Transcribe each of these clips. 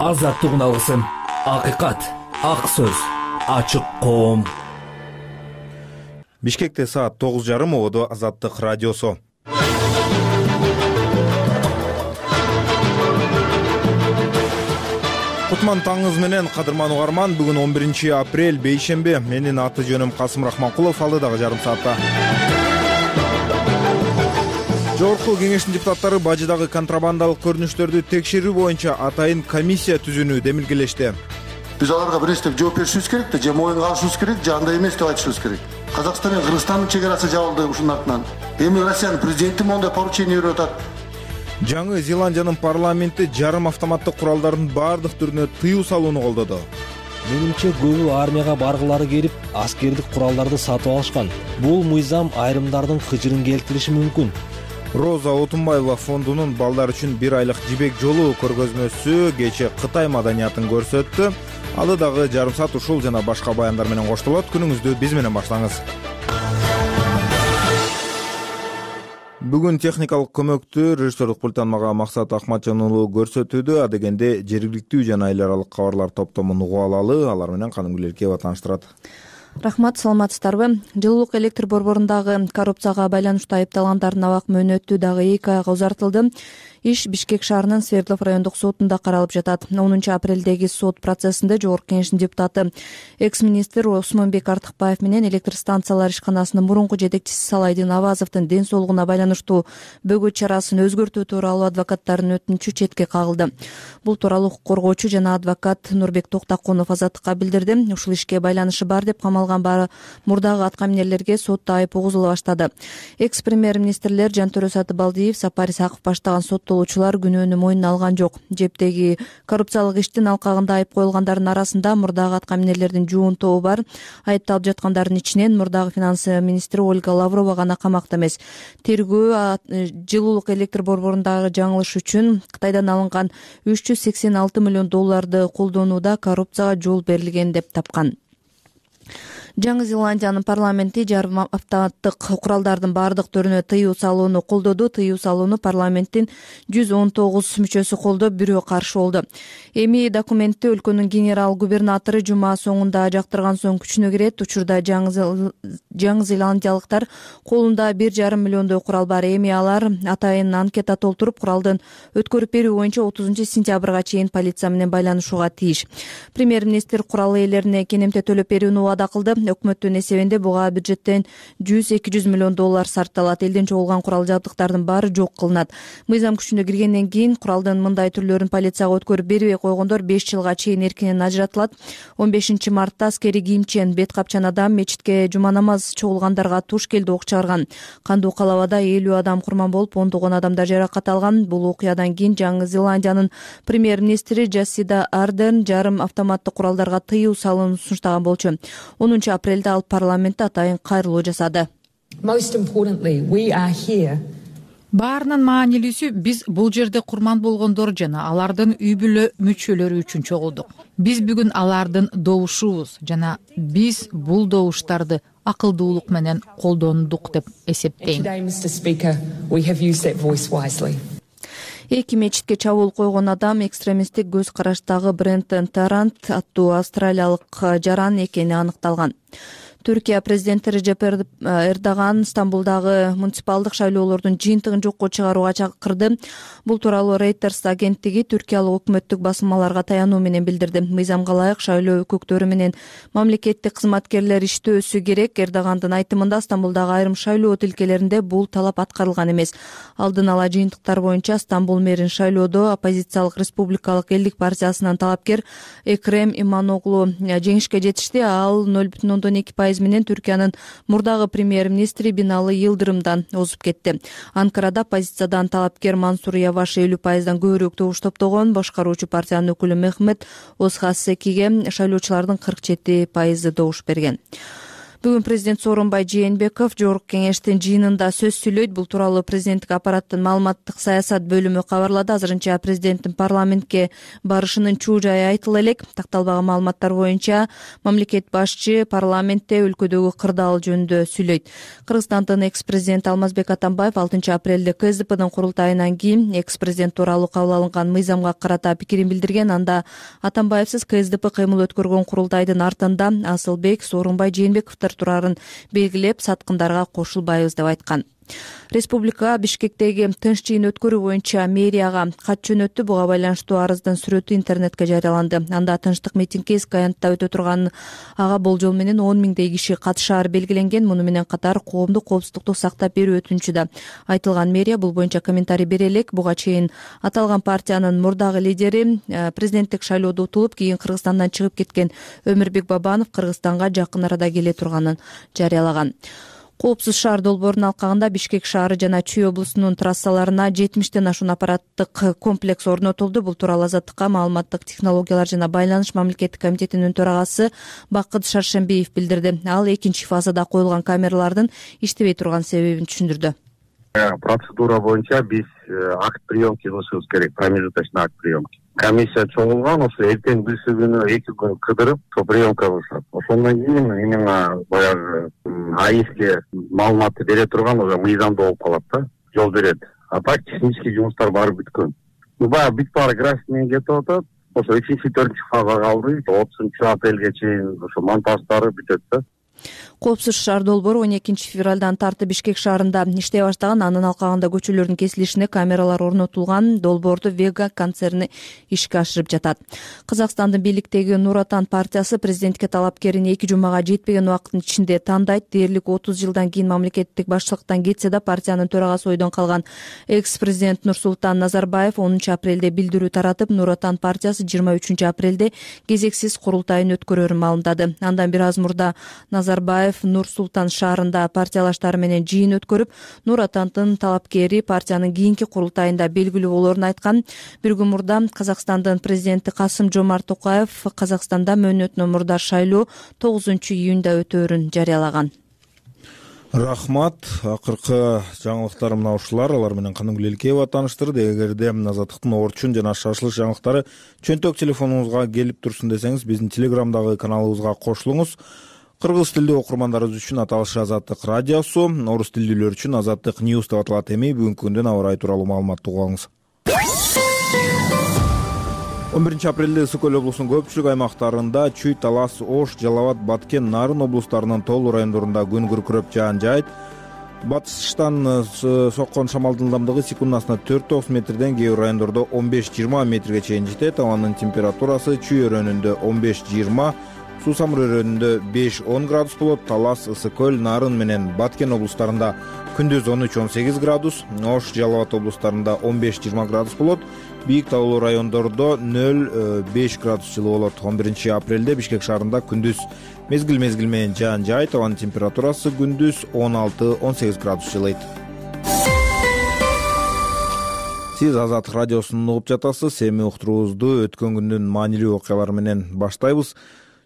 Азаттык алгысым, акыйкат, ак сөз, ачык коом. Бишкекте саат 9:30 ободо Азаттык радиосу. Кутман таңыңыз менен, кадырман угарман. Бүгүн 11 апрель, бейшембе. Менин аты жөнүм Касым Рахманкулов. Алдыдагы жарым саатта Жогорку кеңештин депутаттары бажыдагы контрабандалык көрүнүштөрдү текшерүү боюнча атайын комиссия түзүүнү демилгелешти. Биз аларга бир нерсе жооп беришибиз керек да, же моюнга алышыбыз керек, же андай эмес деп айтышыбыз керек. Казакстан менен Кыргызстандын чек арасы жабылды ушунун артынан. Эми Россиянын президенти моундай поручение берип атат. Жаңы Зеландиянын парламенти жарым автоматтык куралдардын баардык түрүнө тыюу салууну колдоду. Менимче көбү армияга баргылары келип, аскердик куралдарды сатып алышкан. Бул мыйзам айрымдардын кыжырын келтириши мүмкүн. Роза Отунбаева фондунун балдар үчүн 1 айлык жибек жолу көргөзмөсү кече Кытай маданиятын көрсөттү. Алы дагы жарым саат ушул жана башка баяндар менен коштолот. Күнүңүздү биз менен баштаңыз. Бүгүн техникалык көмөктү режиссерлук пульттан мага Максат Акматжан уулу көрсөтүүдө. Адегенде жергиликтүү жана эл аралык кабарлар топтомун угуп алалы. Алар менен Канымгүл Эркебова тааныштырат. Рахмат, саламатсыздарбы? Жылуулук электр борборундагы коррупцияга байланыштуу айыпталгандардын абак мөөнөтү дагы 2 айга узартылды. Иш Бишкек шаарынын Свердлов райондук сотунда каралып жатат. 10 апрелдеги сот процессинде Жогорку кеңештин депутаты экс-министр Осмонбек Артыкбаев менен электр станциялар ишканасынын мурунку жетекчиси Салайдин Авазовдун ден соолугуна байланыштуу бөгөт чарасын өзгөртүү тууралуу адвокаттардын өтүнүчү четке кагылды. Бул тууралуу укук коргоочу жана адвокат Нурбек Токтакунов Азаттыкка билдирди. Ушул ишке байланышы бар деп камалган мурдагы аткаминерлерге сотто айып угузула баштады. Экс-премьер-министрлер Жантөрө Сатыбалдиев, Сапар Исаков баштаган соттолуучулар күнөөнү мойнуна алган жок. Жептеги коррупциялык иштин алкагында айып коюлгандардын арасында мурдагы аткаминерлердин жуун тобу бар. Айыпталып жаткандардын ичинен мурдагы финанс министри Ольга Лаврова гана камакта эмес. Тергөө жылуулук электр борборундагы жаңылыш үчүн Кытайдан алынган $386 миллион колдонууда коррупцияга жол берилген деп тапкан. Жаңы Зеландиянын парламенти жарым автоматтык куралдардын баардык түрүнө тыюу салууну колдоду. Тыюу салууну парламенттин 119 мүчөсү колдоп, бирөө каршы болду. Эми документти өлкөнүн генерал-губернатору жума соңунда жактырган соң күчүнө кирет. Учурда жаңы зеландиялыктар колунда 1,5 миллиондой курал бар. Эми алар атайын анкета толтуруп, куралдын өткөрүп берүү боюнча 30 сентябрга чейин полиция менен байланышууга тийиш. Премьер-министр курал ээлерине кенемте төлөп берүүнү убада кылды. Өкмөттүн эсебинде буга бюджеттен $100-200 миллион сарпталат. Элден чогулган курал жабдыктардын баары жок кылынат. Мыйзам күчүнө киргенден кийин куралдын мындай түрлөрүн полицияга өткөрүп бербей койгондор 5 жылга чейин эркинен ажыратылат. 15 мартта аскери кийимчен бет капчан адам мечитке жума намаз чогулгандарга туш келди ок чыгарган. Кандуу калабада 50 адам курман болуп, 10 адамдар жаракат алган. Бул окуядан кийин Жаңы Зеландиянын премьер-министри Джасида Ардерн жарым автоматтык куралдарга тыюу салууну сунуштаган болчу. 10 апрелде ал парламентте атайын кайрылуу жасады. Баарынан маанилүүсү, биз бул жерде курман болгондор жана алардын үй бүлө мүчөлөрү үчүн чогулдук. Биз бүгүн алардын добушубуз жана биз бул добуштарды акылдуулук менен колдондук деп эсептейм. Эки мечитке чабуул койгон адам экстремисттик көз караштагы Брентон Тарант аттуу австралиялык жаран экени аныкталган. Түркия президенти Режеп Эрдоган Стамбулдагы муниципалдык шайлоолордун жыйынтыгын жокко чыгарууга чакырды. Бул тууралуу Reuters агенттиги түркиялык өкмөттүк басылмаларга таянуу менен билдирди. Мыйзамга ылайык шайлоо өкүктөрү менен мамлекеттик кызматкерлер иштөөсү керек. Эрдогандын айтымында Стамбулдагы айрым шайлоо тилкелеринде бул талап аткарылган эмес. Алдын ала жыйынтыктар боюнча Стамбул мэрин шайлоодо оппозициялык Республикалык элдик партиясынын талапкер Экрем Иманоглу жеңишке жетишти. Ал 0,2% менен Түркиянын мурдагы премьер-министри Бинали Йылдырымдан озуп кетти. Анкарада оппозициядан талапкер Мансур Яваш 50%дан көбүрөөк добуш топтогон. Башкаруучу партиянын өкүлү Мехмет Озхасекиге шайлоочулардын 47% добуш берген. Бүгүн президент Сооронбай Жээнбеков Жогорку кеңештин жыйынында сөз сүйлөйт. Бул тууралуу президенттик аппараттын маалыматтык саясат бөлүмү кабарлады. Азырынча президенттин парламентке барышынын чуу жайы айтыла элек. Такталбаган маалыматтар боюнча мамлекет башчы парламентте өлкөдөгү кырдаал жөнүндө сүйлөйт. Кыргызстандын экс-президенти Алмазбек Атамбаев 6 апрелде КСДПнын курултайынан кийин экс-президент тууралуу кабыл алынган мыйзамга карата пикирин билдирген. Анда Атамбаевсиз КСДП кыймыл өткөргөн курултайдын артында Асылбек, Сооронбай Жээнбековдор турарын белгилеп, саткындарга кошулбайбыз деп айткан. Республика Бишкектеги тынч жыйын өткөрүү боюнча мэрияга кат жөнөттү. Буга байланыштуу арыздын сүрөтү интернетке жарыяланды. Анда тынчтык митингге эски аянтта өтө турганын, ага болжол менен 10 миңдей киши катышаары белгиленген. Муну менен катар коомдук коопсуздукту сактап берүү өтүнүчү да айтылган. Мэрия бул боюнча комментарий бере элек. Буга чейин аталган партиянын мурдагы лидери, президенттик шайлоодо утулуп, кийин Кыргызстандан чыгып кеткен Өмүрбек Бабанов Кыргызстанга жакын арада келе турганын жарыялаган. Коопсуз шаар долбоорунун алкагында Бишкек шаары жана Чүй облусунун трассаларына 70тен ашуун аппараттык комплекс орнотулду. Бул тууралуу Азаттыкка маалыматтык технологиялар жана байланыш мамлекеттик комитетинин төрагасы Бакыт Шаршембиев билдирди. Ал экинчи фазада коюлган камералардын иштебей турган себебин түшүндүрдү. Процедура боюнча биз акт приемки кылышыбыз керек, промежуточный акт приемки. Комиссия чогулган, ошо эртең бүсү күнү 2 күн кыдырып, приемка кылышат. Ошондон кийин именно баягы АИСке маалыматты бере турган уже мыйзамда болуп калат да, жол берет. А так технический жумуштар баары бүткөн. Баягы бүт баары график менен кетип атат. Ошо 3-4 фаза калды. 30 апрелге чейин ошо монтаждары бүтөт да. Коопсуз шаар долбоору 12 февралдан тартып Бишкек шаарында иштей баштаган. Анын алкагында көчөлөрдүн кесилишине камералар орнотулган. Долбоорду Вега концерни ишке ашырып жатат. Казакстандын бийликтеги Нур Отан партиясы президентке талапкерин 2 жумага жетпеген убакыттын ичинде тандайт. Дээрлик 30 жылдан кийин мамлекеттик башчылыктан кетсе да, партиянын төрагасы ойдон калган экс-президент Нурсултан Назарбаев 10 апрелде билдирүү таратып, Нур Отан партиясы 23 апрелде кезексиз курултайын өткөрөрүн маалымдады. Андан бир аз мурда Назарбаев Нур-Султан шаарында партиялаштары менен жыйын өткөрүп, Нур Отандын талапкери партиянын кийинки курултайында белгилүү болоорун айткан. Бир күн мурда Казакстандын президенти Касым-Жомарт Токаев Казакстанда мөөнөтүнөн мурда шайлоо 9 июнда өтөөрүн жарыялаган. Рахмат. Акыркы жаңылыктар мына ушулар. Алар менен Каныгүл Элкеева тааныштырды. Эгерде Азаттыктын орчун жана шашылыш жаңылыктары чөнтөк телефонуңузга келип турсун десеңиз, биздин Телеграмдагы каналыбызга кошулуңуз. Кыргыз тилдүү окурмандарыбыз үчүн аталыш Азаттык радиосу, орус тилдүүлөр үчүн Азаттык News деп аталат. Эми бүгүнкү күндүн аба ырайы тууралуу маалыматты угуп алыңыз. 11 апрелде Ысык Көл облусунун көпчүлүк аймактарында Чүй, Талас, Ош, Жалал Абад, Баткен, Нарын облустарынын тоолуу райондорунда күн күркүрөп жаан жаайт. Батыштан соккон шамалдын ылдамдыгы секундасына 4-9 метрден, кээ бир райондордо 15-20 метрге чейин жетет. Абанын температурасы Чүй өрөөнүндө 15-20, Суу Самыр өрөөнүндө 5-10 градус болот. Талас, Ысык Көл, Нарын менен Баткен облустарында күндүз 13-18 градус, Ош, Жалал Абад облустарында 15-20 градус болот. Бийик таулуу райондордо 0-5 градус жылы болот. 11 апрелде Бишкек шаарында күндүз мезгил менен жаан жаайт. Абанын температурасы күндүз 16-18 градус жылыйт. Сиз Азаттык радиосун угуп жатасыз. Эми уктуруубузду өткөн күндүн маанилүү окуялары менен баштайбыз.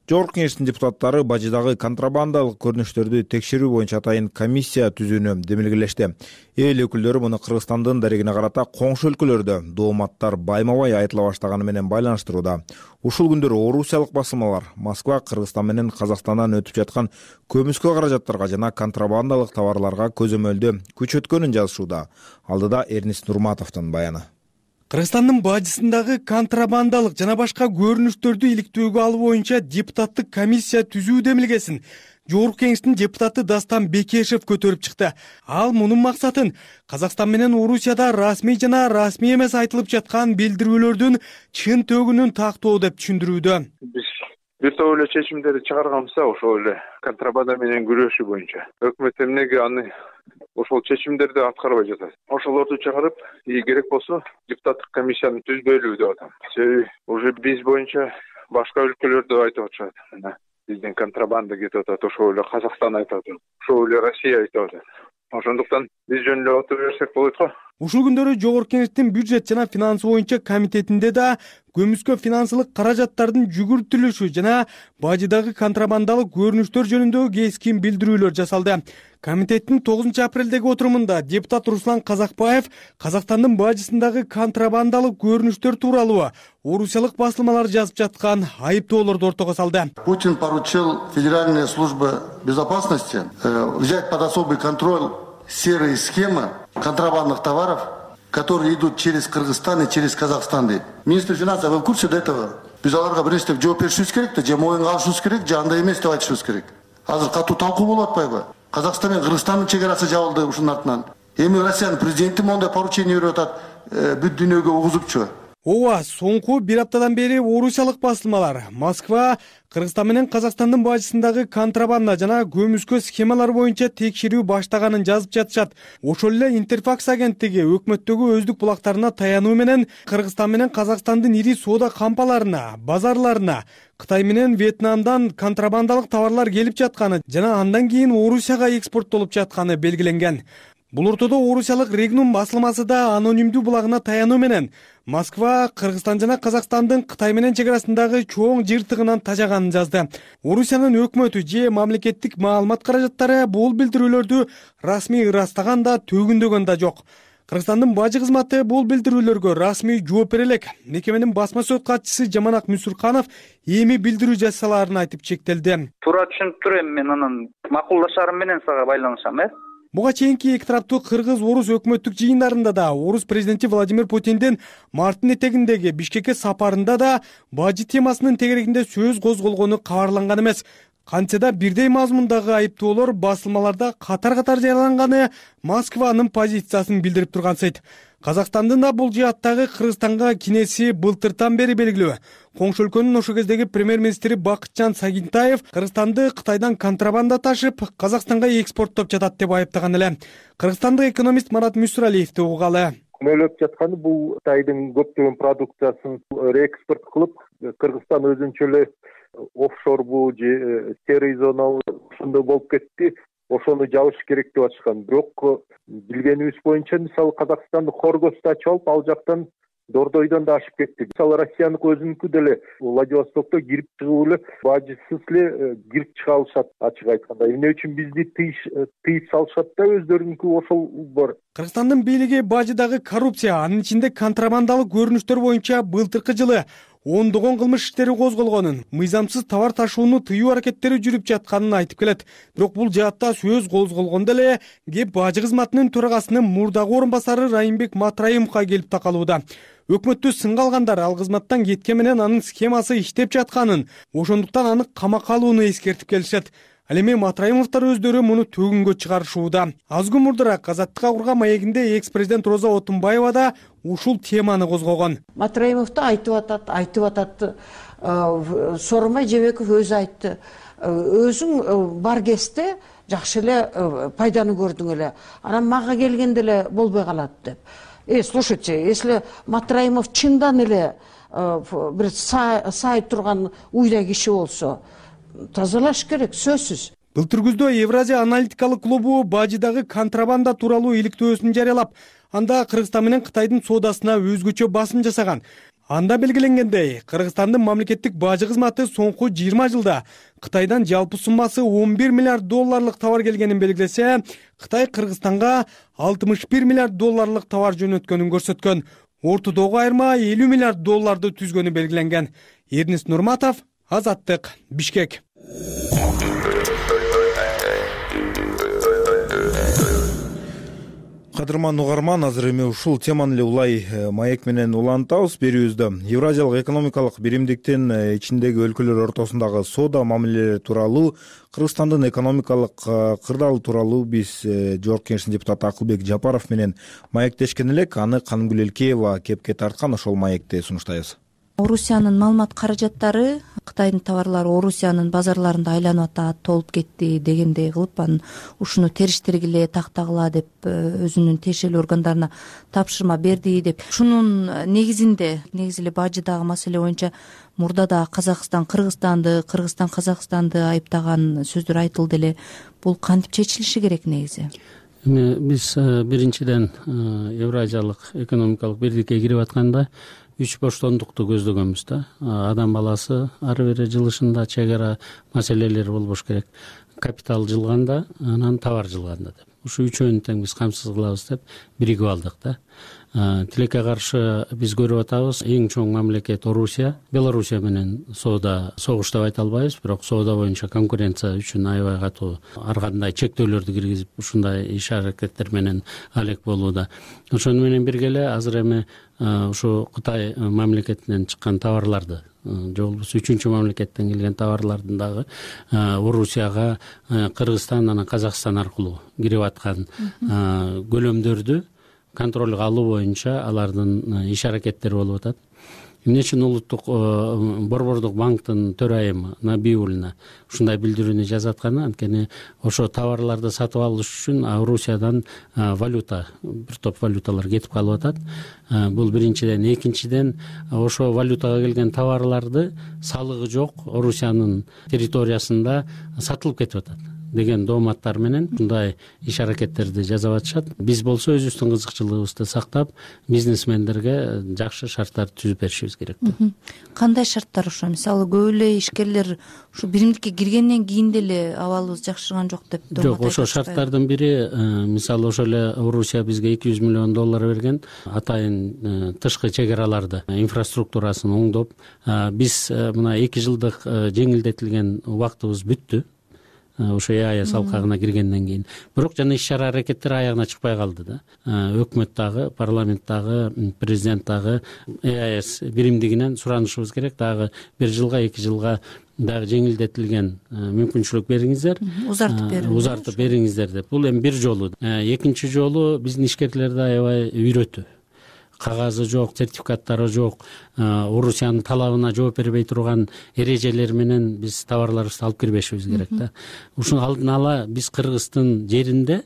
Жогорку кеңештин депутаттары Бажыдагы контрабандалык көрүнүштөрдү текшерүү боюнча атайын комиссия түзүүнү демилгелешти. Эл өкүлдөрү муну Кыргызстандын дарегине карата коңшу өлкөлөрдө дооматтар байма-бай айтыла баштаганы менен байланыштырууда. Ушул күндөр орусиялык басылмалар Москва, Кыргызстан менен Казакстандан өтүп жаткан көмүскө каражаттарга жана контрабандалык товарларга көзөмөлдү күчөткөнүн жазышууда. Алдыда Эрнис Нурматовдун баяны. Кыргызстандын бажысындагы контрабандалык жана башка көрүнүштөрдү иликтөөгө алуу боюнча депутаттык комиссия түзүү демилгесин Жогорку кеңештин депутаты Дастан Бекешев көтөрүп чыкты. Ал мунун максатын Казакстан менен Орусияда расмий жана расмий эмес айтылып жаткан билдирүүлөрдүн чын төгүнүн тактоо деп түшүндүрүүдө. Бир топ эле чечимдерди чыгарганбызда, ошол эле контрабанда менен күрөшүү боюнча. Өкмөт эмнеге аны ошол чечимдерди аткарбай жатат? Ошолорду чыгарып, керек болсо депутаттык комиссияны түзбөйлү деп атам. Себеби уже биз боюнча башка өлкөлөрдө айтып атышат. Мына биздин контрабанда кетип атат, ошол эле Казакстан айтып атат, ошол эле Россия айтып атат. Ошондуктан биз жөн эле отура берсек болот го. Ушул күндөрү Жогорку Кеңештин бюджет жана финансы боюнча комитетинде да көмүскө финансылык каражаттардын жүгүртүлүшү жана бажыдагы контрабандалык көрүнүштөр жөнүндө кескин билдирүүлөр жасалды. Комитеттин 9 апрелдеги отурумунда депутат Руслан Казакбаев Казакстандын бажысындагы контрабандалык көрүнүштөр тууралуу орусиялык басылмалар жазып жаткан айыптоолорду ортого салды. Путин поручил Федеральной службе безопасности взять под особый контроль серые схемы контрабандных товаров, которые идут через Кыргызстан и через Казахстан. Министр финансов, вы в курсе до этого? Биз аларга бир нерсе жооп беришибиз керек да, же моюнга алышыбыз керек, же андай эмес деп айтышыбыз керек. Азыр катуу талкуу болуп атпайбы? Казакстан менен Кыргызстандын чек арасы жабылды ушунун артынан. Эми Россиянын президенти мондай поручение берип атат, бүт дүйнөгө угузупчу. Ооба, соңку бир аптадан бери орусиялык басылмалар Москва Кыргызстан менен Казакстандын бажысындагы контрабанда жана көмүскө схемалар боюнча текшерүү баштаганын жазып жатышат. Ошол эле Интерфакс агенттиги өкмөттөгү өздүк булактарына таянуу менен Кыргызстан менен Казакстандын ири соода кампаларына, базарларына Кытай менен Вьетнамдан контрабандалык товарлар келип жатканы жана андан кийин Орусияга экспорттолуп жатканы белгиленген. Бул ортодо орусиялык Регнум басылмасы да анонимдүү булагына таянуу менен Москва Кыргызстан жана Казакстандын Кытай менен чек арасындагы чоң жыртыгынан тажаганын жазды. Орусиянын өкмөтү же мамлекеттик маалымат каражаттары бул билдирүүлөрдү расмий ырастаган да төгүндөгөн да жок. Кыргызстандын бажы кызматы бул билдирүүлөргө расмий жооп бере элек. Мекеменин басма сөз катчысы Жаманак Мүсүрканов эми билдирүү жасаларын айтып чектелди. Туура түшүнүп турам, мен анан макулдашарым менен сага байланышам, Буга чейинки эки тараптуу кыргыз-орус өкмөттүк жыйындарында да орус президенти Владимир Путиндин марттын этегиндеги Бишкекке сапарында да бажы темасынын тегерегинде сөз козголгону кабарланган эмес. Кантсе да бирдей мазмундагы айыптоолор басылмаларда катар-катар жарыяланганы Москванын позициясын билдирип тургансыйт. Казакстандын да бул жааттагы Кыргызстанга кинеси былтыртан бери белгилүү. Коңшу өлкөнүн ошол кездеги премьер-министри Бакытжан Сагинтаев Кыргызстанды Кытайдан контрабанда ташып, Казакстанга экспорттоп жатат деп айыптаган эле. Кыргызстандык экономист Марат Мүсүралиевди угалы. Күнөөлөп жатканы бул Кытайдын көптөгөн продукциясын реэкспорт кылып, Кыргызстан өзүнчө эле офшорбу же серый зона ушундай болуп кетти. Ошону жабыш керек деп атышкан. Бирок билгенибиз боюнча мисалы Казакстанды Хоргосту ачып алып, ал жактан Дордойдон да ашып кетти. Мисалы Россиянын өзүнүкү деле Владивостокто кирип чыгып эле бажысыз эле кирип чыга алышат, ачык айтканда. Эмне үчүн бизди тыйып салышат да, өздөрүнүкү ошол бар. Кыргызстандын бийлиги бажыдагы коррупция, анын ичинде контрабандалык көрүнүштөр боюнча былтыркы жылы ондогон кылмыш иштери козголгонун, мыйзамсыз товар ташууну тыюу аракеттери жүрүп жатканын айтып келет. Бирок бул жаатта сөз козголгондо эле кеп бажы кызматынын төрагасынын мурдагы орун басары Райымбек Матраимовго келип такалууда. Өкмөттү сынга алгандар ал кызматтан кеткен менен анын схемасы иштеп жатканын, ошондуктан аны камакка алууну эскертип келишет. Ал эми Матраимовдор өздөрү муну төгүнгө чыгарышууда. Аз күн мурдараак Азаттыкка курган маегинде экс-президент Роза Отунбаева да ушул теманы козгогон. Матраимовду айтып атат, Сооронбай Жээнбеков өзү айтты. Өзүң бар кезде жакшы эле пайданы көрдүң эле. Анан мага келгенде эле болбой калат деп. Слушайте, если Матраимов чындан эле бир сай турган уйда киши болсо, тазалаш керек, сөзсүз. Былтыр күздө Евразия аналитикалык клубу бажыдагы контрабанда тууралуу иликтөөсүн жарыялап, анда Кыргызстан менен Кытайдын соодасына өзгөчө басым жасаган. Анда белгиленгендей, Кыргызстандын мамлекеттик бажы кызматы соңку 20 жылда Кытайдан жалпы суммасы $11 миллиард товар келгенин белгилесе, Кытай Кыргызстанга $61 миллиард товар жөнөткөнүн көрсөткөн. Ортодогу айырма $50 миллиард түзгөнү белгиленген. Эрнис Нурматов, Азаттык, Бишкек. Кадырман угарман, азыр эми ушул теманы эле улай маек менен улантабыз берүүбүздө. Евразиялык экономикалык биримдиктин ичиндеги өлкөлөр ортосундагы соода мамилелери тууралуу, Кыргызстандын экономикалык кырдаалы тууралуу биз Жогорку Кеңештин депутаты Акылбек Жапаров менен маектешкен элек. Аны Канымгүл Элкеева кепке тарткан, ошол маекти сунуштайбыз. Орусиянын маалымат каражаттары Кытайдын товарлары Орусиянын базарларында айланып атат, толуп кетти дегендей кылып, анан ушуну териштиргиле, тактагыла деп өзүнүн тиешелүү органдарына тапшырма берди деп. Ушунун негизи эле бажыдагы маселе боюнча мурда да Казакстан Кыргызстанды, Кыргызстан Казакстанды айыптаган сөздөр айтылды эле. Бул кантип чечилиши керек негизи? Эми биз биринчиден Евразиялык экономикалык бирдикке кирип атканда 3 боштондукту көздөгөнбүз да. Адам баласы ары бери жылышында чек ара маселелери болбош керек. Капитал жылганда, анан товар жылганда деп. Ушу үчөөнү тең биз камсыз кылабыз деп биригип алдык да. Тилекке каршы биз көрүп атабыз, эң чоң мамлекет Орусия. Белоруссия менен соода согуш деп айта албайбыз, бирок соода боюнча конкуренция үчүн аябай катуу ар кандай чектөөлөрдү киргизип, ушундай иш аракеттер менен алек болууда. Ошону менен бирге эле азыр эми ушу Кытай мамлекетинен чыккан товарларды, же болбосо 3-чү мамлекеттен келген товарлардын дагы Орусияга Кыргызстан анан Казакстан аркылуу кирип аткан көлөмдөрдү контролго алуу боюнча алардын иш аракеттери болуп атат. Эмне үчүн улуттук борбордук банктын төрайымы Набиуллина ушундай билдирүүнү жазып атканы, анткени ошо товарларды сатып алыш үчүн Орусиядан валюта, бир топ валюталар кетип калып атат. Бул биринчиден, экинчиден ошо валютага келген товарларды салыгы жок Орусиянын территориясында сатылып кетип атат деген дооматтар менен мындай иш аракеттерди жасап атышат. Биз болсо өзүбүздүн кызыкчылыгыбызды сактап, бизнесмендерге жакшы шарттарды түзүп беришибиз керек. Кандай шарттар ошо? Мисалы, көп эле ишкерлер ушу биримдикке киргенден кийин деле абалыбыз жакшырган жок деп Жок, ошо шарттардын бири, мисалы ошо эле Орусия бизге $200 миллион берген, атайын тышкы чек араларды, инфраструктурасын оңдоп, биз мына 2 жылдык жеңилдетилген убактыбыз бүттү. Ошо ЕАЭС алкагына киргенден кийин. Бирок жана иш-чара аракеттер аягына чыкпай калды да. Өкмөт дагы, парламент дагы, президент дагы ЕАЭС биримдигинен суранышыбыз керек. Дагы 1 жылга, 2 жылга дагы жеңилдетилген мүмкүнчүлүк бериңиздер. Узартып бериңиздер деп. Бул эми бир жолу. Экинчи жолу биздин ишкерлерди аябай үйрөтүү. Кагазы жок, сертификаттары жок, Орусиянын талабына жооп бербей турган эрежелер менен биз товарларыбызды алып кирбешибиз керек да. Ушуну алдын ала биз Кыргыздын жеринде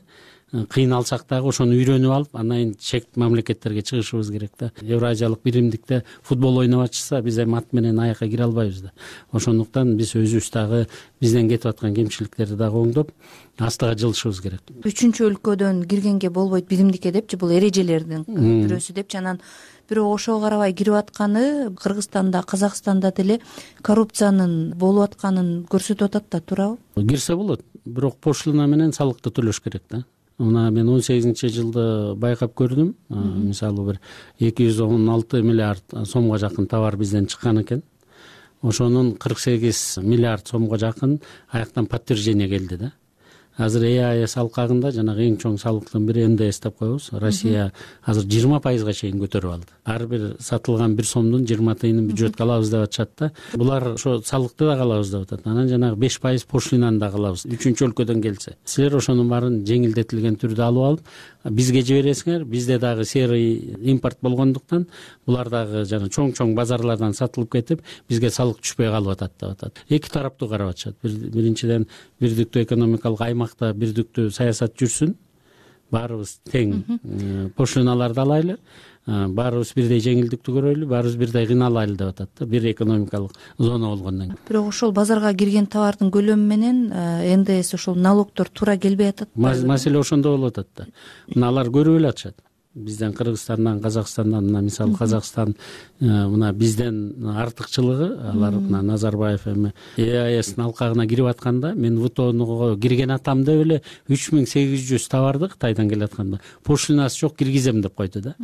кыйналсак дагы ошону үйрөнүп алып, анан чек мамлекеттерге чыгышыбыз керек да. Евразиялык биримдикте футбол ойноп атышса, биз эми ат менен аякка кире албайбыз да. Ошондуктан биз өзүбүз дагы бизден кетип аткан кемчиликтерди дагы оңдоп, астыга жылышыбыз керек. 3-чү өлкөдөн киргенге болбойт биримдикке депчи, бул эрежелердин бирөөсү депчи. Анан бирок ошого карабай кирип атканы Кыргызстанда, Казакстанда деле коррупциянын болуп атканын көрсөтүп атат да, туурабы? Кирсе болот, бирок пошлина менен салыкты төлөш керек да. Мына мен 18-жылды байкап көрдүм. Мисалы бир 216 миллиард сомго жакын товар бизден чыккан экен. Ошонун 48 миллиард сомго жакын аяктан подтверждение келди да. Азыр ЕАЭС алкагында жанагы эң чоң салыктын бири НДС деп коебуз. Россия азыр 20%га чейин көтөрүп алды. Ар бир сатылган 1 сомдун 20 тыйынын бюджетке алабыз деп атышат да. Булар ошо салыкты да алабыз деп атат. Анан жанагы 5% пошлинаны да алабыз. 3-чү өлкөдөн келсе. Силер ошонун баарын жеңилдетилген түрдө алып алып, бизге жибересиңер. Бизде дагы серый импорт болгондуктан булар дагы жана чоң базарлардан сатылып кетип, бизге салык түшпөй калып атат деп атат. Эки тараптуу карап атышат. Биринчиден бирдиктүү экономикалык аймакта бирдиктүү саясат жүрсүн. Баарыбыз тең пошлиналарды алайлы. Баарыбыз бирдей жеңилдикти көрөлү, баарыбыз бирдей кыйналайлы деп атат да. Бир экономикалык зона болгондон кийин. Бирок ошол базарга кирген товардын көлөмү менен НДС ошол налогдор туура келбей атат. Маселе ошондо болуп атат да. Мына алар көрүп эле атышат. Бизден Кыргызстандан, Казакстандан, мына мисалы Казакстан мына бизден артыкчылыгы, алар мына Назарбаев эми ЕАЭСтин алкагына кирип атканда, мен ВТОнго кирген атам деп эле 3800 товарды Кытайдан келатканда пошлинасы жок киргизем деп койду да.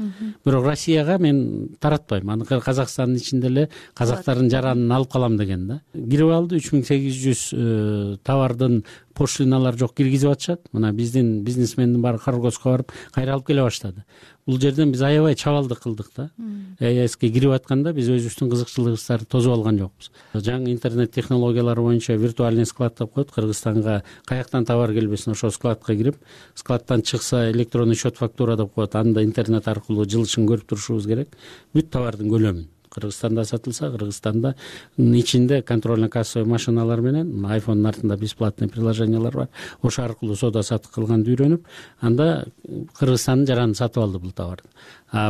Бирок Россияга мен таратпайм. Аны Казакстандын ичинде эле казактардын жаранын алып калам деген да. Кирип алды 3800 товардын пошлиналар жок киргизип атышат. Мына биздин бизнесмендин баары Каргоска барып кайра алып келе баштады. Бул жерден биз аябай чабалдык кылдык да. ЕАЭСке кирип атканда биз өзүбүздүн кызыкчылыгыбызды тосуп алган жокпуз. Жаңы интернет технологиялары боюнча виртуальный склад деп коет. Кыргызстанга каяктан товар келбесин ошо складка кирип, складтан чыкса электронный счет фактура деп коет. Анда интернет аркылуу жылышын көрүп турушубуз керек. Бүт товардын көлөмүн. Кыргызстанда сатылса, Кыргызстанда ичинде контрольно-кассовый машиналар менен, iPhone'ун артында бесплатный приложениялар бар. Ошо аркылуу соода сатык кылганды үйрөнүп, анда Кыргызстандын жаранын сатып алды бул товарды.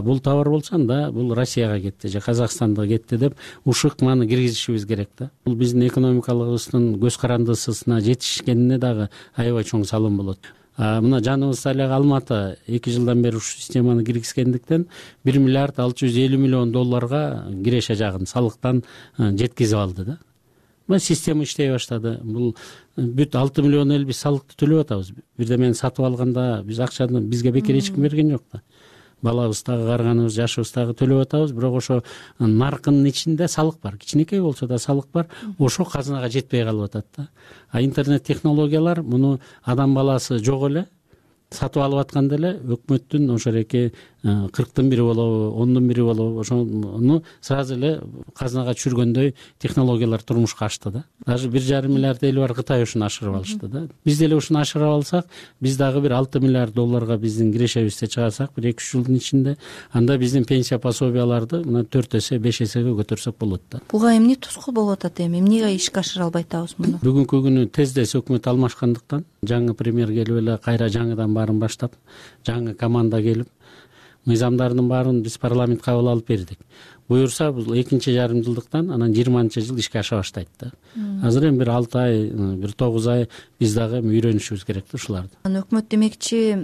Бул товар болсо анда бул Россияга кетти же Казакстанга кетти деп ушыкманы киргизишибиз керек да. Бул биздин экономикалыгыбыздын көз карандысына жетишкенине дагы аябай чоң салым болот. Мына жаныбызда эле Алматы 2 жылдан бери ушул системаны киргизгендиктен 1 миллиард 650 миллион долларга киреше жагын салыктан жеткизип алды да. Мына система иштей баштады. Бул бүт 6 миллион эл биз салыкты төлөп атабыз. Бирдемени сатып алганда биз акчаны бизге бекер эч ким берген жок да. Балабыздагы, карганыбыз, жашыбыздагы төлөп атабыз, бирок ошо наркынын ичинде салык бар. Кичинекей болсо да салык бар. Ошо казынага жетпей калып атат да. Интернет технологиялар муну адам баласы жок эле сатып алып атканда эле өкмөттүн ошо эки 40-тын бири болобу, 10-дун бири болобу, ошону сразу эле казынага түшүргөндөй технологиялар турмушка ашты да. Даже 1,5 миллиард эли бар Кытай ушуну ашырып алышты да. Биз деле ушуну ашырып алсак, биз дагы бир 6 миллиард долларга биздин кирешебизди чыгарсак, бир 2-3 жылдын ичинде, анда биздин пенсия пособияларды мына 4 эсе, 5 эсеге көтөрсөк болот да. Буга эмне тоскоол болуп атат эми? Эмнеге ишке ашыра албай атабыз муну? Бүгүнкү күнү тездес өкмөт алмашкандыктан жаңы премьер келип эле кайра жаңыдан баарын баштап, жаңы команда келип, мыйзамдардын баарын биз парламент кабыл алып бердик. Буюрса, бул 2,5 жылдыктан анан 20-жыл ишке аша баштайт да. Азыр эми бир 6 ай, бир 9 ай биз дагы үйрөнүшүбүз керек да ушуларды. Өкмөт демекчи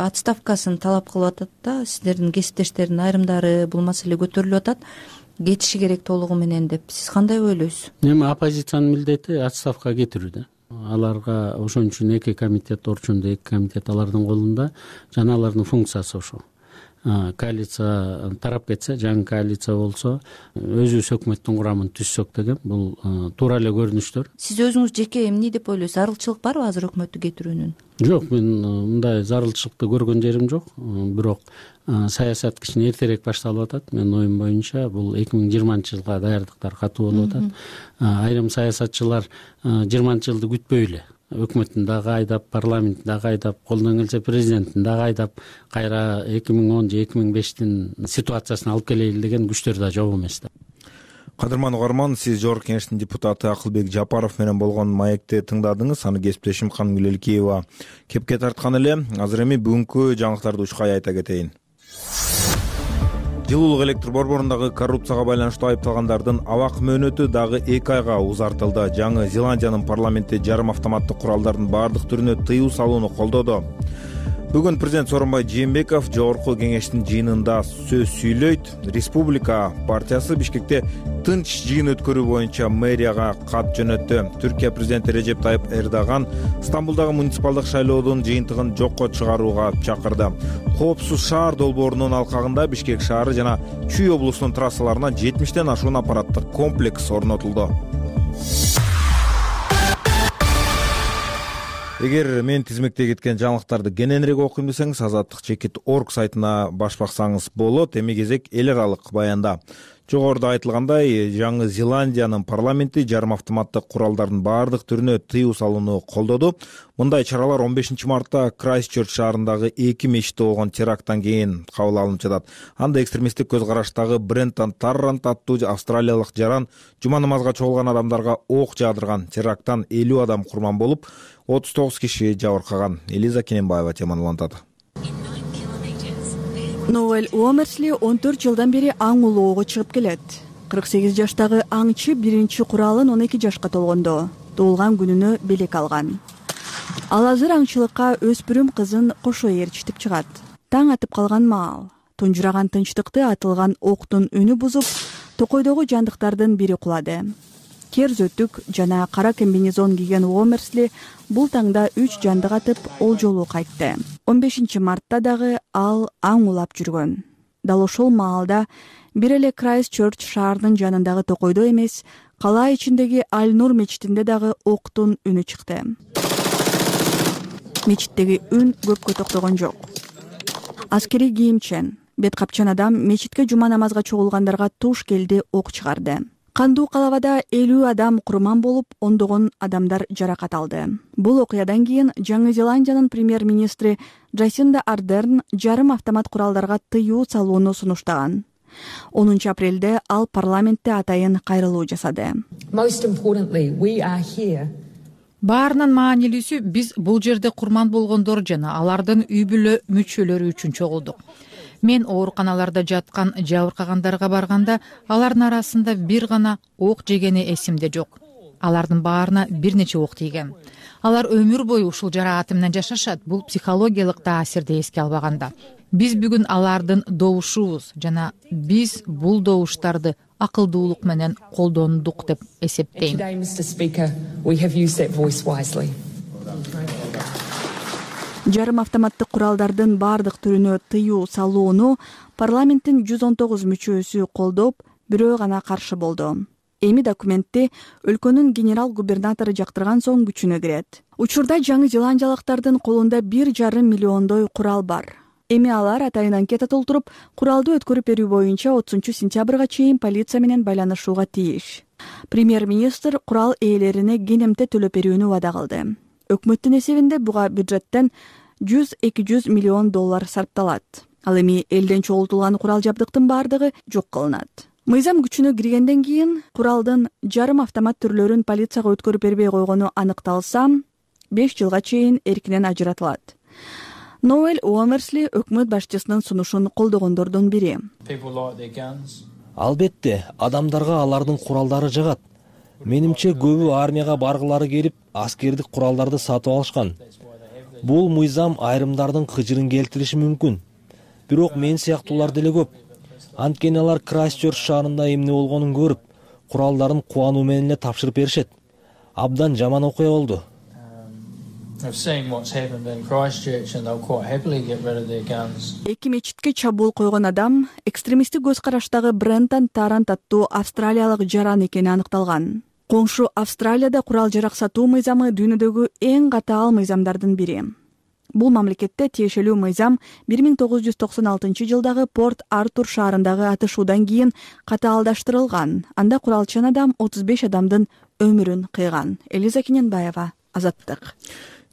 отставкасын талап кылып атат да. Сиздердин кесиптештердин айрымдары бул маселе көтөрүлүп атат. Кетиши керек толугу менен деп. Сиз кандай ойлойсуз? Эми оппозициянын милдети отставкага кетирүү да. Аларга ошон үчүн 2 комитет, орчундо 2 комитет алардын колунда, жана алардын функциясы ошо. Коалиция тарап кетсе, жаңы коалиция болсо, өзүбүз өкмөттүн курамын түзсөк деген бул туура эле көрүнүштөр. Сиз өзүңүз жеке эмне деп ойлойсуз? Зарылчылык барбы азыр өкмөттү кетирүүнүн? Жок, мен мындай зарылчылыкты көргөн жерим жок. Бирок саясат кичине эртерээк башталып атат. Менин оюм боюнча бул 2020-жылга даярдыктар катуу болуп атат. Айрым саясатчылар 20-жылды күтпөй эле өкмөттүн дагы айдап, парламенттин дагы айдап, колдон келсе президенттин дагы айдап, кайра 2010 же 2005-тин ситуациясына алып келели деген күчтөр да жок эмес да. Кадырман угарман, сиз Жогорку Кеңештин депутаты Акылбек Жапаров менен болгон маекти тыңдадыңыз. Аны кесиптешим Камгүл Элкеева кепке тарткан эле. Азыр эми бүгүнкү жаңылыктарды учкай айта кетейин. Жылуулук электр борборундагы коррупцияга байланыштуу айыпталгандардын абак мөөнөтү дагы 2 айга узартылды. Жаңы Зеландиянын парламенти жарым автоматтык куралдардын баардык түрүнө тыюу салууну колдоду. Бүгүн президент Сооронбай Жээнбеков Жогорку Кеңештин жыйынында сөз сүйлөйт. Республика партиясы Бишкекте тынч жыйын өткөрүү боюнча мэрияга кат жөнөттү. Түркия президенти Режеп Тайып Эрдоган Стамбулдагы муниципалдык шайлоодун жыйынтыгын жокко чыгарууга чакырды. Коопсуз шаар долбоорунун алкагында Бишкек шаары жана Чүй облусунун трассаларына 70тен ашуун аппараттык комплекс орнотулду. Эгер мен тизмекте кеткен жаңылыктарды кененирээк окуйм десеңиз, azatlyk.org сайтына баш баксаңыз болот. Эми кезек эл аралык баянда. Жогоруда айтылгандай, жаңы Зеландиянын парламенти жарым автоматтык куралдардын баардык түрүнө тыюу салууну колдоду. Мындай чаралар 15 мартта Крайстчерч шаарындагы 2 мечитте болгон теракттан кийин кабыл алынып жатат. Анда экстремисттик көз караштагы Брентон Таррант аттуу австралиялык жаран жума намазга чогулган адамдарга ок жаадырган. Теракттан 50 адам курман болуп, 39 киши жабыркаган. Элиза Кененбаева теманы улантат. Ноэл Уомерсли 14 жылдан бери аң улоого чыгып келет. 48 жаштагы аңчы биринчи куралын 12 жашка толгондо туулган күнүнө белек алган. Ал азыр аңчылыкка өспүрүм кызын кошо ээрчитип чыгат. Таң атып калган маал, тунжураган тынчтыкты атылган октун үнү бузуп, токойдогу жандыктардын бири кулады. Кер зөтүк жана кара комбинезон кийген Уомерсли бул таңда 3 жандык атып ол жолу кайтты. 15 мартта дагы ал аң улап жүргөн. Дал ошол маалда бир эле Крайстчерч шаарынын жанындагы токойдо эмес, кала ичиндеги Аль-Нур мечитинде дагы октун үнү чыкты. Мечиттеги үн көпкө токтогон жок. Аскери кийимчен, бет капчан адам мечитке жума намазга чогулгандарга туш келди ок чыгарды. Кандуу калабада 50 адам курман болуп, ондогон адамдар жаракат алды. Бул окуядан кийин Жаңы Зеландиянын премьер-министри Джасинда Ардерн жарым автомат куралдарга тыюу салууну сунуштаган. 10 апрелде ал парламентте атайын кайрылуу жасады. Баарынан маанилүүсү биз бул жерде курман болгондор жана алардын үй бүлө мүчөлөрү үчүн чогулдук. Мен ооруканаларда жаткан жабыркагандарга барганда, алардын арасында бир гана ок жегени эсимде жок. алардын баарына бир нече ок тийген. Алар өмүр бою ушул жарааты менен жашашат. Бул психологиялык таасирди эске албаганда. Биз бүгүн алардын добушубуз жана биз бул добуштарды акылдуулук менен колдондук деп эсептейм. Жарым автоматтык куралдардын баардык түрүнө тыюу салууну парламенттин 119 мүчөсү колдоп, бирөө гана каршы болду. Эми документти өлкөнүн генерал губернатору жактырган соң күчүнө кирет. Учурда Жаңы Зеландиялыктардын колунда 1,5 миллиондой курал бар. Эми алар атайын анкета толтуруп, куралды өткөрүп берүү боюнча 30 сентябрга чейин полиция менен байланышууга тийиш. Премьер-министр курал ээлерине кенемте төлөп берүүнү убада кылды. Өкмөттүн эсебинде буга бюджеттен 100-200 миллион доллар сарпталат. Ал эми элден чогултулган курал жабдыктын баардыгы жок кылынат. Мыйзам күчүнө киргенден кийин куралдын жарым автомат түрлөрүн полицияга өткөрүп бербей койгону аныкталса, 5 жылга чейин эркинен ажыратылат. Ноэль Уомерсли өкмөт башчысынын сунушун колдогондордун бири. Албетте, адамдарга алардын куралдары жагат. Менимче көбү армияга баргылары келип, аскердик куралдарды сатып алышкан. Бул мыйзам айрымдардын кыжырын келтириши мүмкүн. Бирок мен сыяктуулар деле көп. Анткени алар Крайстчерч шаарында эмне болгонун көрүп, куралдарын кубануу менен эле тапшырып беришет. Абдан жаман окуя болду. Эки мечитке чабуул койгон адам экстремисттик көз караштагы Брентон Тарант аттуу австралиялык жаран экени аныкталган. Коңшу Австралияда курал жарак сатуу мыйзамы дүйнөдөгү эң катаал мыйзамдардын бири. Бул мамлекетте тиешелүү мыйзам 1996 жылдагы Порт Артур шаарындагы атышуудан кийин катаалдаштырылган. Анда куралчан адам 35 адамдын өмүрүн кыйган. Элиза Кененбаева, Азаттык.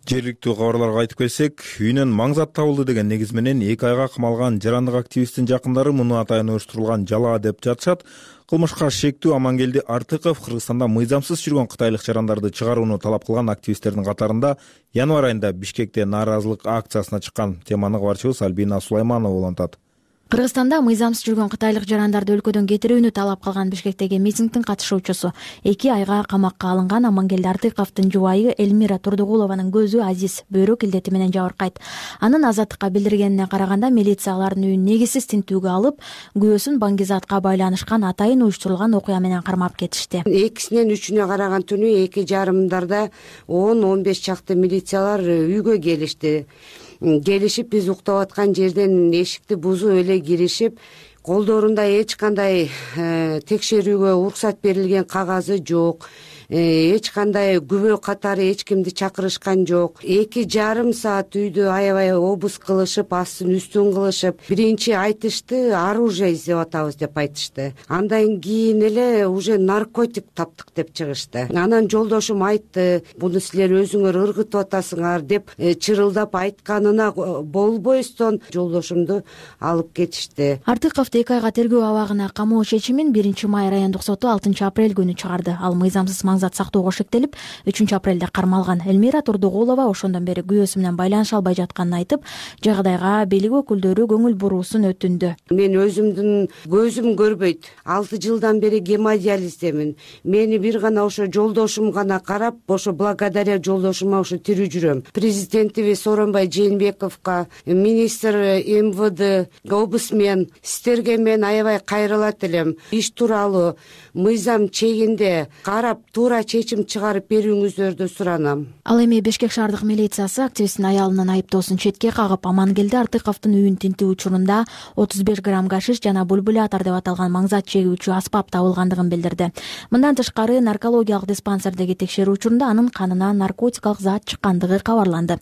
Жергиликтүү кабарларга айтып келсек, үйүнөн маң зат табылды деген негиз менен 2 айга камалган жарандык активисттин жакындары муну атайын уюштурулган жалаа деп жатышат. Кылмышка шектүү Амангелди Артыков Кыргызстанда мыйзамсыз жүргөн кытайлык жарандарды чыгарууну талап кылган активисттердин катарында январь айында Бишкекте нааразылык акциясына чыккан. Теманы кабарчыбыз Альбина Сулайманова улантат. Кыргызстанда мыйзамсыз жүргөн кытайлык жарандарды өлкөдөн кетирүүнү талап кылган Бишкектеги митингдин катышуучусу 2 айга камакка алынган Амангелди Артыковдун жубайы Элмира Турдугулованын көзү Азиз бөйрөк илдети менен жабыркайт. Анын Азаттыкка билдиргенине караганда милиция алардын үйүн негизсиз тинтүүгө алып, күбөсүн Баңгизатка байланышкан атайын уюштурулган окуя менен кармап кетишти. 2-синен 3-үнө караган түнү 2:30 10-15 чакты милициялар үйгө келишти. Келишип биз уктап аткан жерден эшикти бузуп эле киришип, колдорунда эч кандай текшерүүгө уруксат берилген кагазы жок. Эч кандай күбө катары эч кимди чакырышкан жок. 2,5 саат үйдү аябай обыск кылышып, астын үстүн кылышып, биринчи айтышты, оружие издеп атабыз деп айтышты. Андан кийин эле уже наркотик таптык деп чыгышты. Анан жолдошум айтты, буну силер өзүңөр ыргытып атасыңар деп чырылдап айтканына болбойстон жолдошумду алып кетишти. Артыковду 2 айга тергөө абагына камоо чечимин 1 май райондук соту 6 апрель күнү чыгарды. Ал мыйзамсыз зат сактоого шектелип, 3 апрелде кармалган. Элмира Турдугулова ошондон бери күйөөсү менен байланыша албай жатканын айтып, жагдайга бийлик өкүлдөрү көңүл буруусун өтүндү. Мен өзүмдүн көзүм көрбөйт. 6 жылдан бери гемодиализдемин. Мени бир гана ошо жолдошум гана карап, ошо благодаря жолдошума ошо тирүү жүрөм. Президентибиз Сооронбай Жээнбековго, министр МВД, облсмен сиздерге мен аябай кайрылат элем. Иш тууралуу мыйзам чегинде карап туура чечим чыгарып берүүңүздөрдү суранам. Ал эми Бишкек шаардык милициясы активисттин аялынын айыптоосун четке кагып, Амангелди Артыковдун үйүн тинтүү учурунда 35 грамм гашиш жана бульбулятор деп аталган маңзат чегүүчү аспап табылгандыгын билдирди. Мындан тышкары наркологиялык диспансердеги текшерүү учурунда анын канынан наркотикалык зат чыккандыгы кабарланды.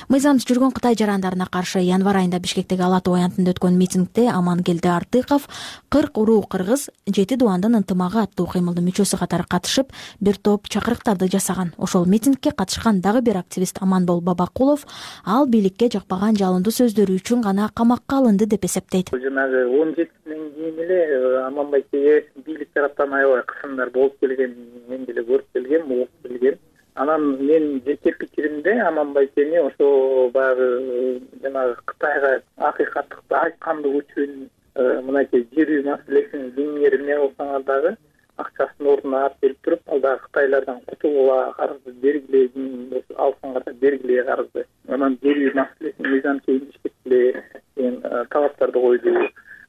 Мыйзамсыз жүргөн кытай жарандарына каршы январь айында Бишкектеги Ала Тоо аянтында өткөн митингде Амангелди Артыков 40 уруу кыргыз 7 дубандын ынтымагы аттуу кыймылдын мүчөсү катары катышып, бир топ чакырыктарды жасаган. Ошол митингке катышкан дагы бир активист Аманбол Бабакулов ал бийликке жакпаган жалындуу сөздөрү үчүн гана камакка алынды деп эсептейт. Жанагы 17-синен кийин эле Аманбайке бийлик тараптан аябай кысымдар болуп келген, мен деле көрүп келгем, угуп келгем. Анан мен жеке пикиримде Аманбайкени ошо баягы жанагы Кытайга акыйкаттыкты айткандыгы үчүн мынакей жер үй маселесин кеңири эмне кылсаңар дагы акчасын ордуна алып келип туруп, ал дагы Кытайлардан кутууга карызды бергиле, алсаңарда бергиле карызды. Анан жер маселесин мыйзам чегинде иштеткиле деген талаптарды койду.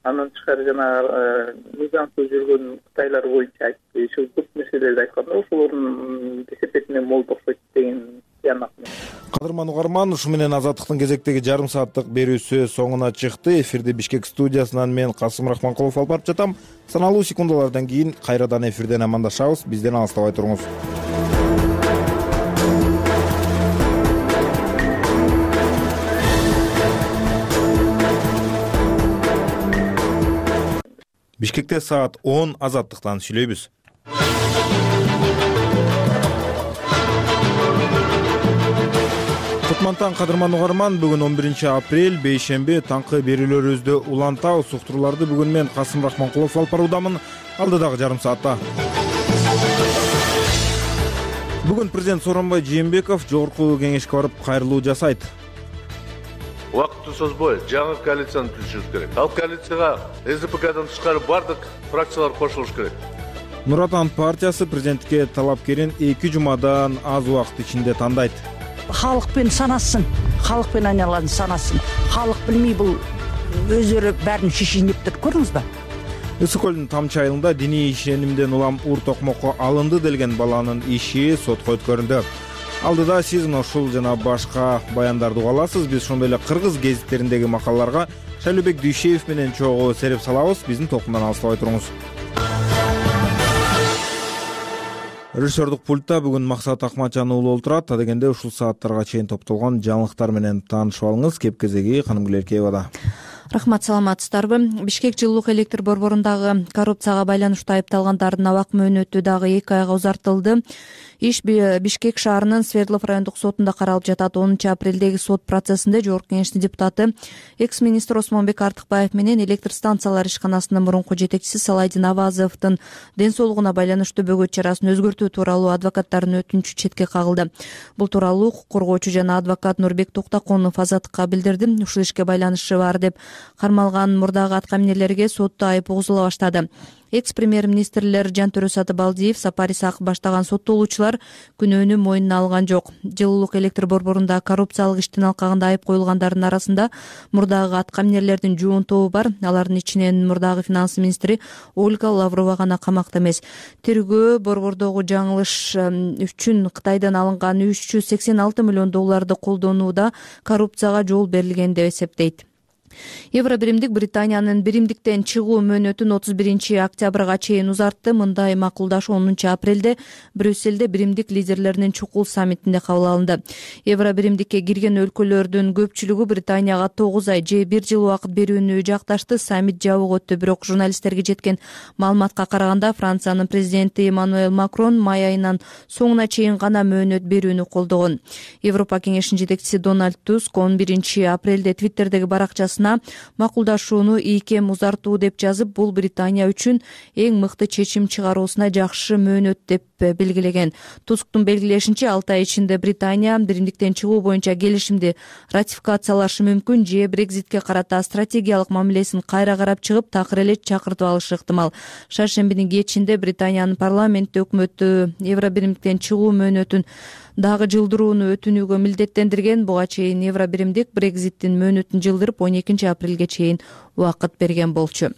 Андан тышкары жанагы мыйзамсыз жүргөн Кытайлар боюнча айтты. Ушул көп нерселерди айтканда, ошолордун кесепетинен болуп окшойт деген тыянак. Кадырман угарман, ушу менен Азаттыктын кезектеги жарым сааттык берүүсү соңуна чыкты. Эфирди Бишкек студиясынан мен Касым Рахманкулов алып барып жатам. Саналуу секундалардан кийин кайрадан эфирден амандашабыз. Бизден алыстабай туруңуз. Бишкекте саат 10. Азаттыктан сүйлөйбүз. Кутмантан Кадырман угарман, бүгүн 11 апрель, бейшемби, таңкы берүүлөрүбүздү улантабыз. Уктурууларды бүгүн мен Касым Рахманкулов алып баруудамын. Алдыдагы жарым саатта. Бүгүн президент Сооронбай Жээнбеков жогорку кеңешке барып кайрылуу жасайт. Убакытты созбой жаңы коалицияны түзүшүбүз керек. Ал коалицияга СДПКдан тышкары бардык фракциялар кошулуш керек. Нур Отан партиясы президентке талапкерин 2 жумадан аз убакыт ичинде тандайт. Халыкпен санасын, халыкпен айналган санасын. Халык билмей бул өздөрү бәрін шишинип туруп көрдүңүз ба? Ысык көлдүн Тамчы айылында диний ишенимден улам ур токмокко алынды делген баланын иши сотко өткөрүлдү. Алдыда сиз ушул жана башка баяндарды уга аласыз. Биз ошондой эле кыргыз гезиттериндеги макалаларга Шайлообек Дүйшеев менен чогуу сереп салабыз. Биздин толкундан алыстабай туруңуз. Режиссердук пультта бүгүн Максат Акматжан уулу олтурат. Адегенде ушул сааттарга чейин топтолгон жаңылыктар менен таанышып алыңыз. Кеп кезеги Канымгүл Эркеевада. Рахмат, саламатсыздарбы? Бишкек жылуулук электр борборундагы коррупцияга байланыштуу айыпталгандардын абак мөөнөтү дагы 2 айга узартылды. Иш Бишкек шаарынын Свердлов райондук сотунда каралып жатат. 10 апрелдеги сот процессинде жогорку кеңештин депутаты, экс-министр Осмонбек Артыкбаев менен электр станциялар ишканасынын мурунку жетекчиси Салайдин Авазовдун ден соолугуна байланыштуу бөгөт чарасын өзгөртүү тууралуу адвокаттардын өтүнүчү четке кагылды. Бул тууралуу укук коргоочу жана адвокат Нурбек Токтаконов Азаттыкка билдирди. Ушул ишке байланышы бар деп кармалган мурдагы аткаминерлерге сотто айып угузула баштады. Экс-премьер-министрлер Жантөрө Сатыбалдиев, Сапар Исаков баштаган соттолуучулар күнөөнү мойнуна алган жок. Жылуулук электр борборунда коррупциялык иштин алкагында айып коюлгандардын арасында мурдагы аткаминерлердин жуун тобу бар. Алардын ичинен мурдагы финанс министри Ольга Лаврова гана камакта эмес. Тергөө борбордогу жаңылыш үчүн Кытайдан алынган 386 миллион долларды колдонууда коррупцияга жол берилген деп эсептейт. Евробиримдик Британиянын биримдиктен чыгуу мөөнөтүн 31 октябрга чейин узартты. Мындай макулдашуу 10 апрелде Брюсселде биримдик лидерлеринин чукул саммитинде кабыл алынды. Евробиримдикке кирген өлкөлөрдүн көпчүлүгү Британияга 9 ай же 1 жыл убакыт берүүнү жакташты. Саммит жабык өттү, бирок журналисттерге жеткен маалыматка караганда Франциянын президенти Эммануэль Макрон май айынын соңуна чейин гана мөөнөт берүүнү колдогон. Европа кеңешинин жетекчиси Дональд Туск 11 апрелде Твиттердеги баракчасына макулдашууну ийкем узартуу деп жазып, бул Британия үчүн эң мыкты чечим чыгаруусуна жакшы мөөнөт деп белгилеген. Тусктун белгилешинче 6 ай ичинде Британия биримдиктен чыгуу боюнча келишимди ратификациялашы мүмкүн же Брекзитке карата стратегиялык мамилесин кайра карап чыгып, такыр эле чакыртып алышы ыктымал. Шаршембинин кечинде Британиянын парламенти өкмөтү Евробиримдиктен чыгуу мөөнөтүн дагы жылдырууну өтүнүүгө милдеттендирген. Буга чейин Евробиримдик Брекзиттин мөөнөтүн жылдырып 12 апрелге чейин убакыт берген болчу.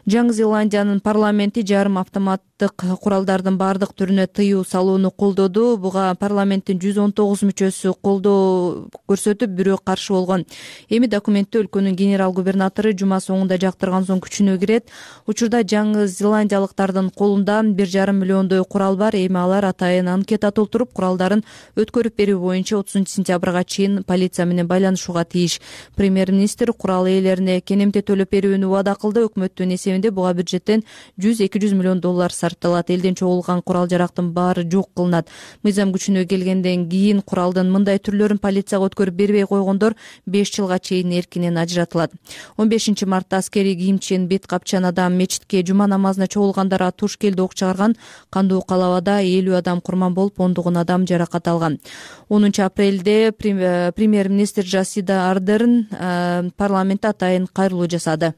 Жаңы Зеландиянын парламенти жарым автоматтык куралдардын бардык түрүнө тыюу салууну колдоду. Буга парламенттин 119 мүчөсү колдоо көрсөтүп, бирөө каршы болгон. Эми документти өлкөнүн генерал губернатору жума соңунда жактырган соң күчүнө кирет. Учурда жаңы зеландиялыктардын колунда 1,5 миллиондой курал бар. Эми алар атайын анкета толтуруп, куралдарын өткөрүп берүү боюнча 30 сентябрга чейин полиция менен байланышууга тийиш. Премьер-министр курал ээлерине кенемте төлөп берүүнү убада кылды. Өкмөттүн буга бюджеттен 100-200 миллион доллар сарпталат. Элден чогулган курал жарактын баары жок кылынат. Мыйзам күчүнө келгенден кийин куралдын мындай түрлөрүн полицияга өткөрүп бербей койгондор 5 жылга чейин эркинен ажыратылат. 15 мартта аскерий кийимчен бет капчан адам мечитке жума намазына чогулгандарга туш келди ок чыгарган. Кандуу калабада 50 адам курман болуп, 10 адам жаракат алган. 10 апрелде премьер-министр Жасида Ардерн парламентте атайын кайрылуу жасады.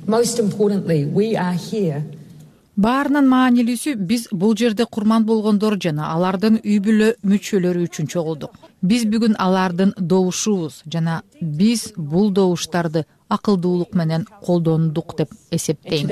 Most importantly, we are here Баарынан маанилүүсү биз бул жерде курман болгондор жана алардын үй бүлө мүчөлөрү үчүн чогулдук. Биз бүгүн алардын добушубуз жана биз бул добуштарды акылдуулук менен колдондук деп эсептейм,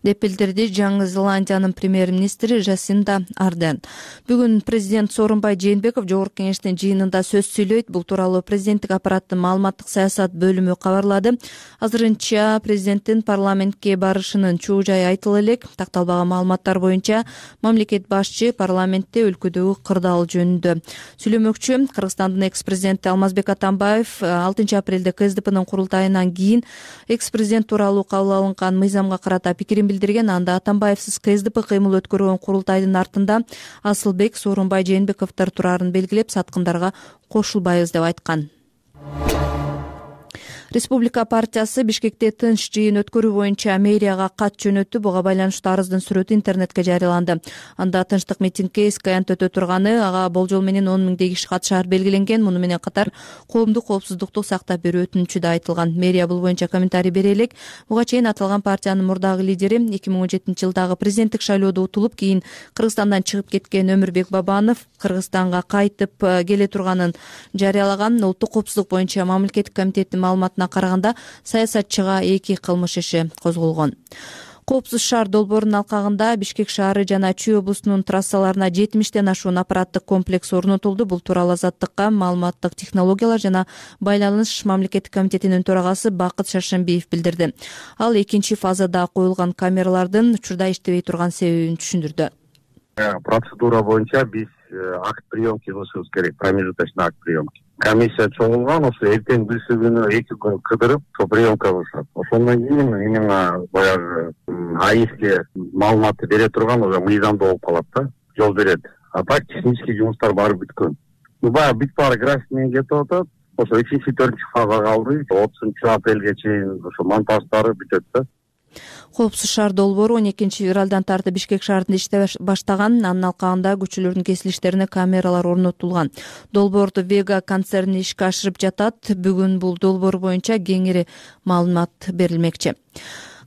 деп билдирди Жаңы Зеландиянын премьер-министри Жасинда Ардерн. Бүгүн президент Сооронбай Жээнбеков Жогорку Кеңештин жыйынында сөз сүйлөйт. Бул тууралуу президенттик аппараттын маалыматтык саясат бөлүмү кабарлады. Азырынча президенттин парламентке барышынын чоо жайы айтыла элек. Такталбаган маалыматтар боюнча мамлекет башчы парламентте өлкөдөгү кырдаал жөнүндө сүйлөмөкчү. Кыргызстандын экс-президенти Алмазбек Атамбаев 6 апрелде КСДПнын курултайынан кийин экс-президент тууралуу кабыл алынган мыйзамга карата пикирин билдирген. Анда Атамбаевсиз КСДП кыймыл өткөргөн курултайдын артында Асылбек, Сооронбай Жээнбековдор турарын белгилеп, саткындарга кошулбайбыз деп айткан. Республика партиясы Бишкекте тынч жыйын өткөрүү боюнча мэрияга кат жөнөттү. Буга байланыштуу арыздын сүрөтү интернетке жарыяланды. Анда тынчтык митингге искаянт өтө турганы, ага болжол менен 10 миңдей киши катышаар белгиленген. Муну менен катар коомдук коопсуздукту сактап берүү өтүнүчү да айтылган. Мэрия бул боюнча комментарий бере элек. Буга чейин аталган партиянын мурдагы лидери 2017-жылдагы президенттик шайлоодо утулуп, кийин Кыргызстандан чыгып кеткен Өмүрбек Бабанов Кыргызстанга кайтып келе турганын жарыялаган. Улуттук коопсуздук боюнча мамлекеттик комитеттин маалыматына караганда саясатчыга 2 кылмыш иши козголгон. Коопсуз шаар долбоорунун алкагында Бишкек шаары жана Чүй облусунун трассаларына 70тен ашуун аппараттык комплекс орнотулду. Бул тууралуу Азаттыкка маалыматтык технологиялар жана байланыш мамлекеттик комитетинин төрагасы Бакыт Шаршембиев билдирди. Ал 2 фазада коюлган камералардын учурда иштебей турган себебин түшүндүрдү. Процедура боюнча биз акт приемки кылышыбыз керек, промежуточный акт приемки. Комиссия чогулган, ошо эртең бүсү күнү 2 күн кыдырып, приемка кылышат. Ошондон кийин именно баягы АИСке маалыматты бере турган уже мыйзамда болуп калат да, жол берет. А так технический жумуштар баары бүткөн. Баягы бүт баары график менен кетип атат. Ошо 3-4 фазага калды. 30 апрелге чейин ошо монтаждары бүтөт да. Коопсуз шаар долбоору 12 февралдан тартып Бишкек шаарында иштей баштаган. Анын алкагында көчөлөрдүн кесилиштерине камералар орнотулган. Долбоорду Вега концерни ишке ашырып жатат. Бүгүн бул долбоор боюнча кеңири маалымат берилмекчи.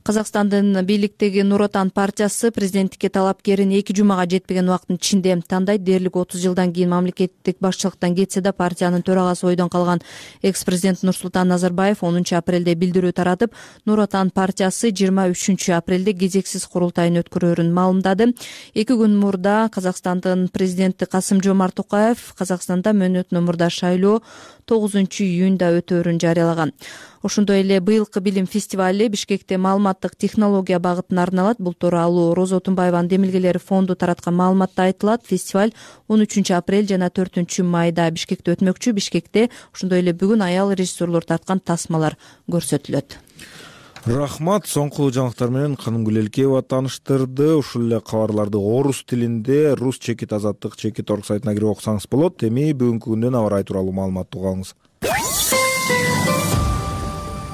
Казакстандын бийликтеги Нур Отан партиясы президенттикке талапкерин 2 жумага жетпеген убакыттын ичинде тандайт. Дээрлик 30 жылдан кийин мамлекеттик башчылыктан кетсе да партиянын төрагасы ойдон калган экс-президент Нурсултан Назарбаев 10 апрелде билдирүү таратып, Нур Отан партиясы 23 апрелде кезексиз курултайын өткөрөөрүн маалымдады. 2 күн мурда Казакстандын президенти Касым-Жомарт Токаев Казакстанда мөөнөтүнөн мурда шайлоо 9 июнда өтөөрүн жарыялаган. Ошондой эле быйылкы билим фестивали Бишкекте маалыматтык технология багытына арналат. Бул тууралуу Роза Отунбаеванын демилгелери фонду тараткан маалыматта айтылат. Фестиваль 13 апрель жана 4 майда Бишкекте өтмөкчү. Бишкекте ошондой эле бүгүн аял режиссерлор тарткан тасмалар көрсөтүлөт. Рахмат. Соңку жаңылыктар менен Канымгүл Элкеева тааныштырды. Ушул эле кабарларды орус тилинде Рус чекит азаттык чекит орг сайтына кирип окусаңыз болот. Эми бүгүнкү күндүн аба ырайы тууралуу маалымат угабыз.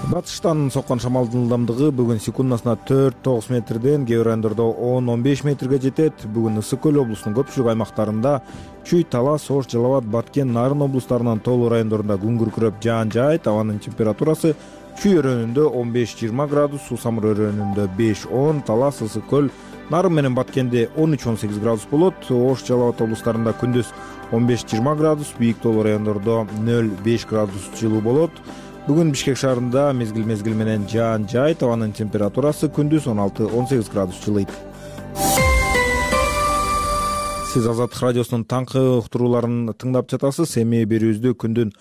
Батыштан соккон шамалдын ылдамдыгы бүгүн секундасына 4-9 метрден, кээ бир райондордо 10-15 метрге жетет. Бүгүн Ысык көл облусунун көпчүлүк аймактарында, Чүй, Талас, Ош, Жалал Абад, Баткен, Нарын облустарынын тоолуу райондорунда күн күркүрөп жаан жаайт. Абанын температурасы Чүй өрөөнүндө 15-20 градус, Суу-Самыр өрөөнүндө 5-10, Талас, Ысык көл, Нарын менен Баткенде 13-18 градус болот. Ош, Жалал Абад облустарында күндүз 15-20 градус, бийик тоолуу райондордо 0-5 градус жылуу болот. Бүгүн Бишкек шаарында мезгил менен жаан жаайт. Абанын температурасы күндүз 16-18 градус жылыйт. Сиз Азаттык радиосунун таңкы уктурууларын тыңдап жатасыз. Эми берүүбүздү күндүн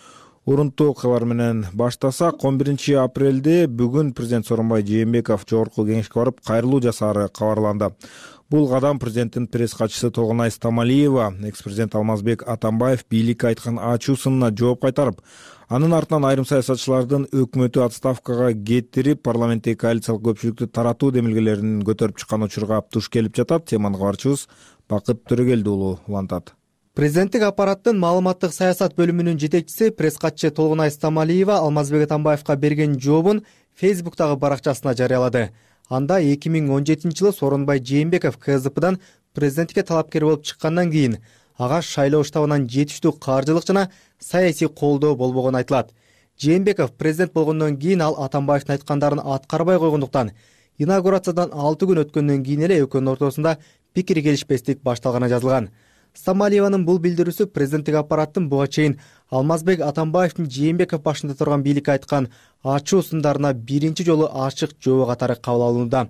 урунттуу окуялары менен баштасак, 11 апрелде бүгүн президент Сооронбай Жээнбеков Жогорку Кеңешке барып кайрылуу жасаары кабарланды. Бул кадам президенттин пресс катчысы Толгонай Стамалиева экс-президент Алмазбек Атамбаев бийликке айткан ачуу сынына жооп кайтарып, анын артынан айрым саясатчылардын өкмөтү отставкага кетирип, парламенттеги коалициялык көпчүлүктү таратуу демилгелерин көтөрүп чыккан учурга туш келип жатат. Теманы кабарчыбыз Бакыт Төрөгелди уулу улантат. Президенттик аппараттын маалыматтык саясат бөлүмүнүн жетекчиси пресс катчы Толгонай Стамалиева Алмазбек Атамбаевка берген жообун Фейсбуктагы баракчасына жарыялады. Анда 2017-жылы Сооронбай Жээнбеков КСДПдан президенттикке талапкер болуп чыккандан кийин ага шайлоо штабынан жетиштүү каржылык жана саясий колдоо болбогону айтылат. Жээнбеков президент болгондон кийин ал Атамбаевдин айткандарын аткарбай койгондуктан инаугурациядан 6 күн өткөндөн кийин эле экөөнүн ортосунда пикир келишпестик башталганы жазылган. Стамалиеванын бул билдирүүсү президенттик аппараттын буга чейин Алмазбек Атамбаевдин Жээнбеков башында турган бийликке айткан ачуу сындарына биринчи жолу ачык жооп катары кабыл алынууда.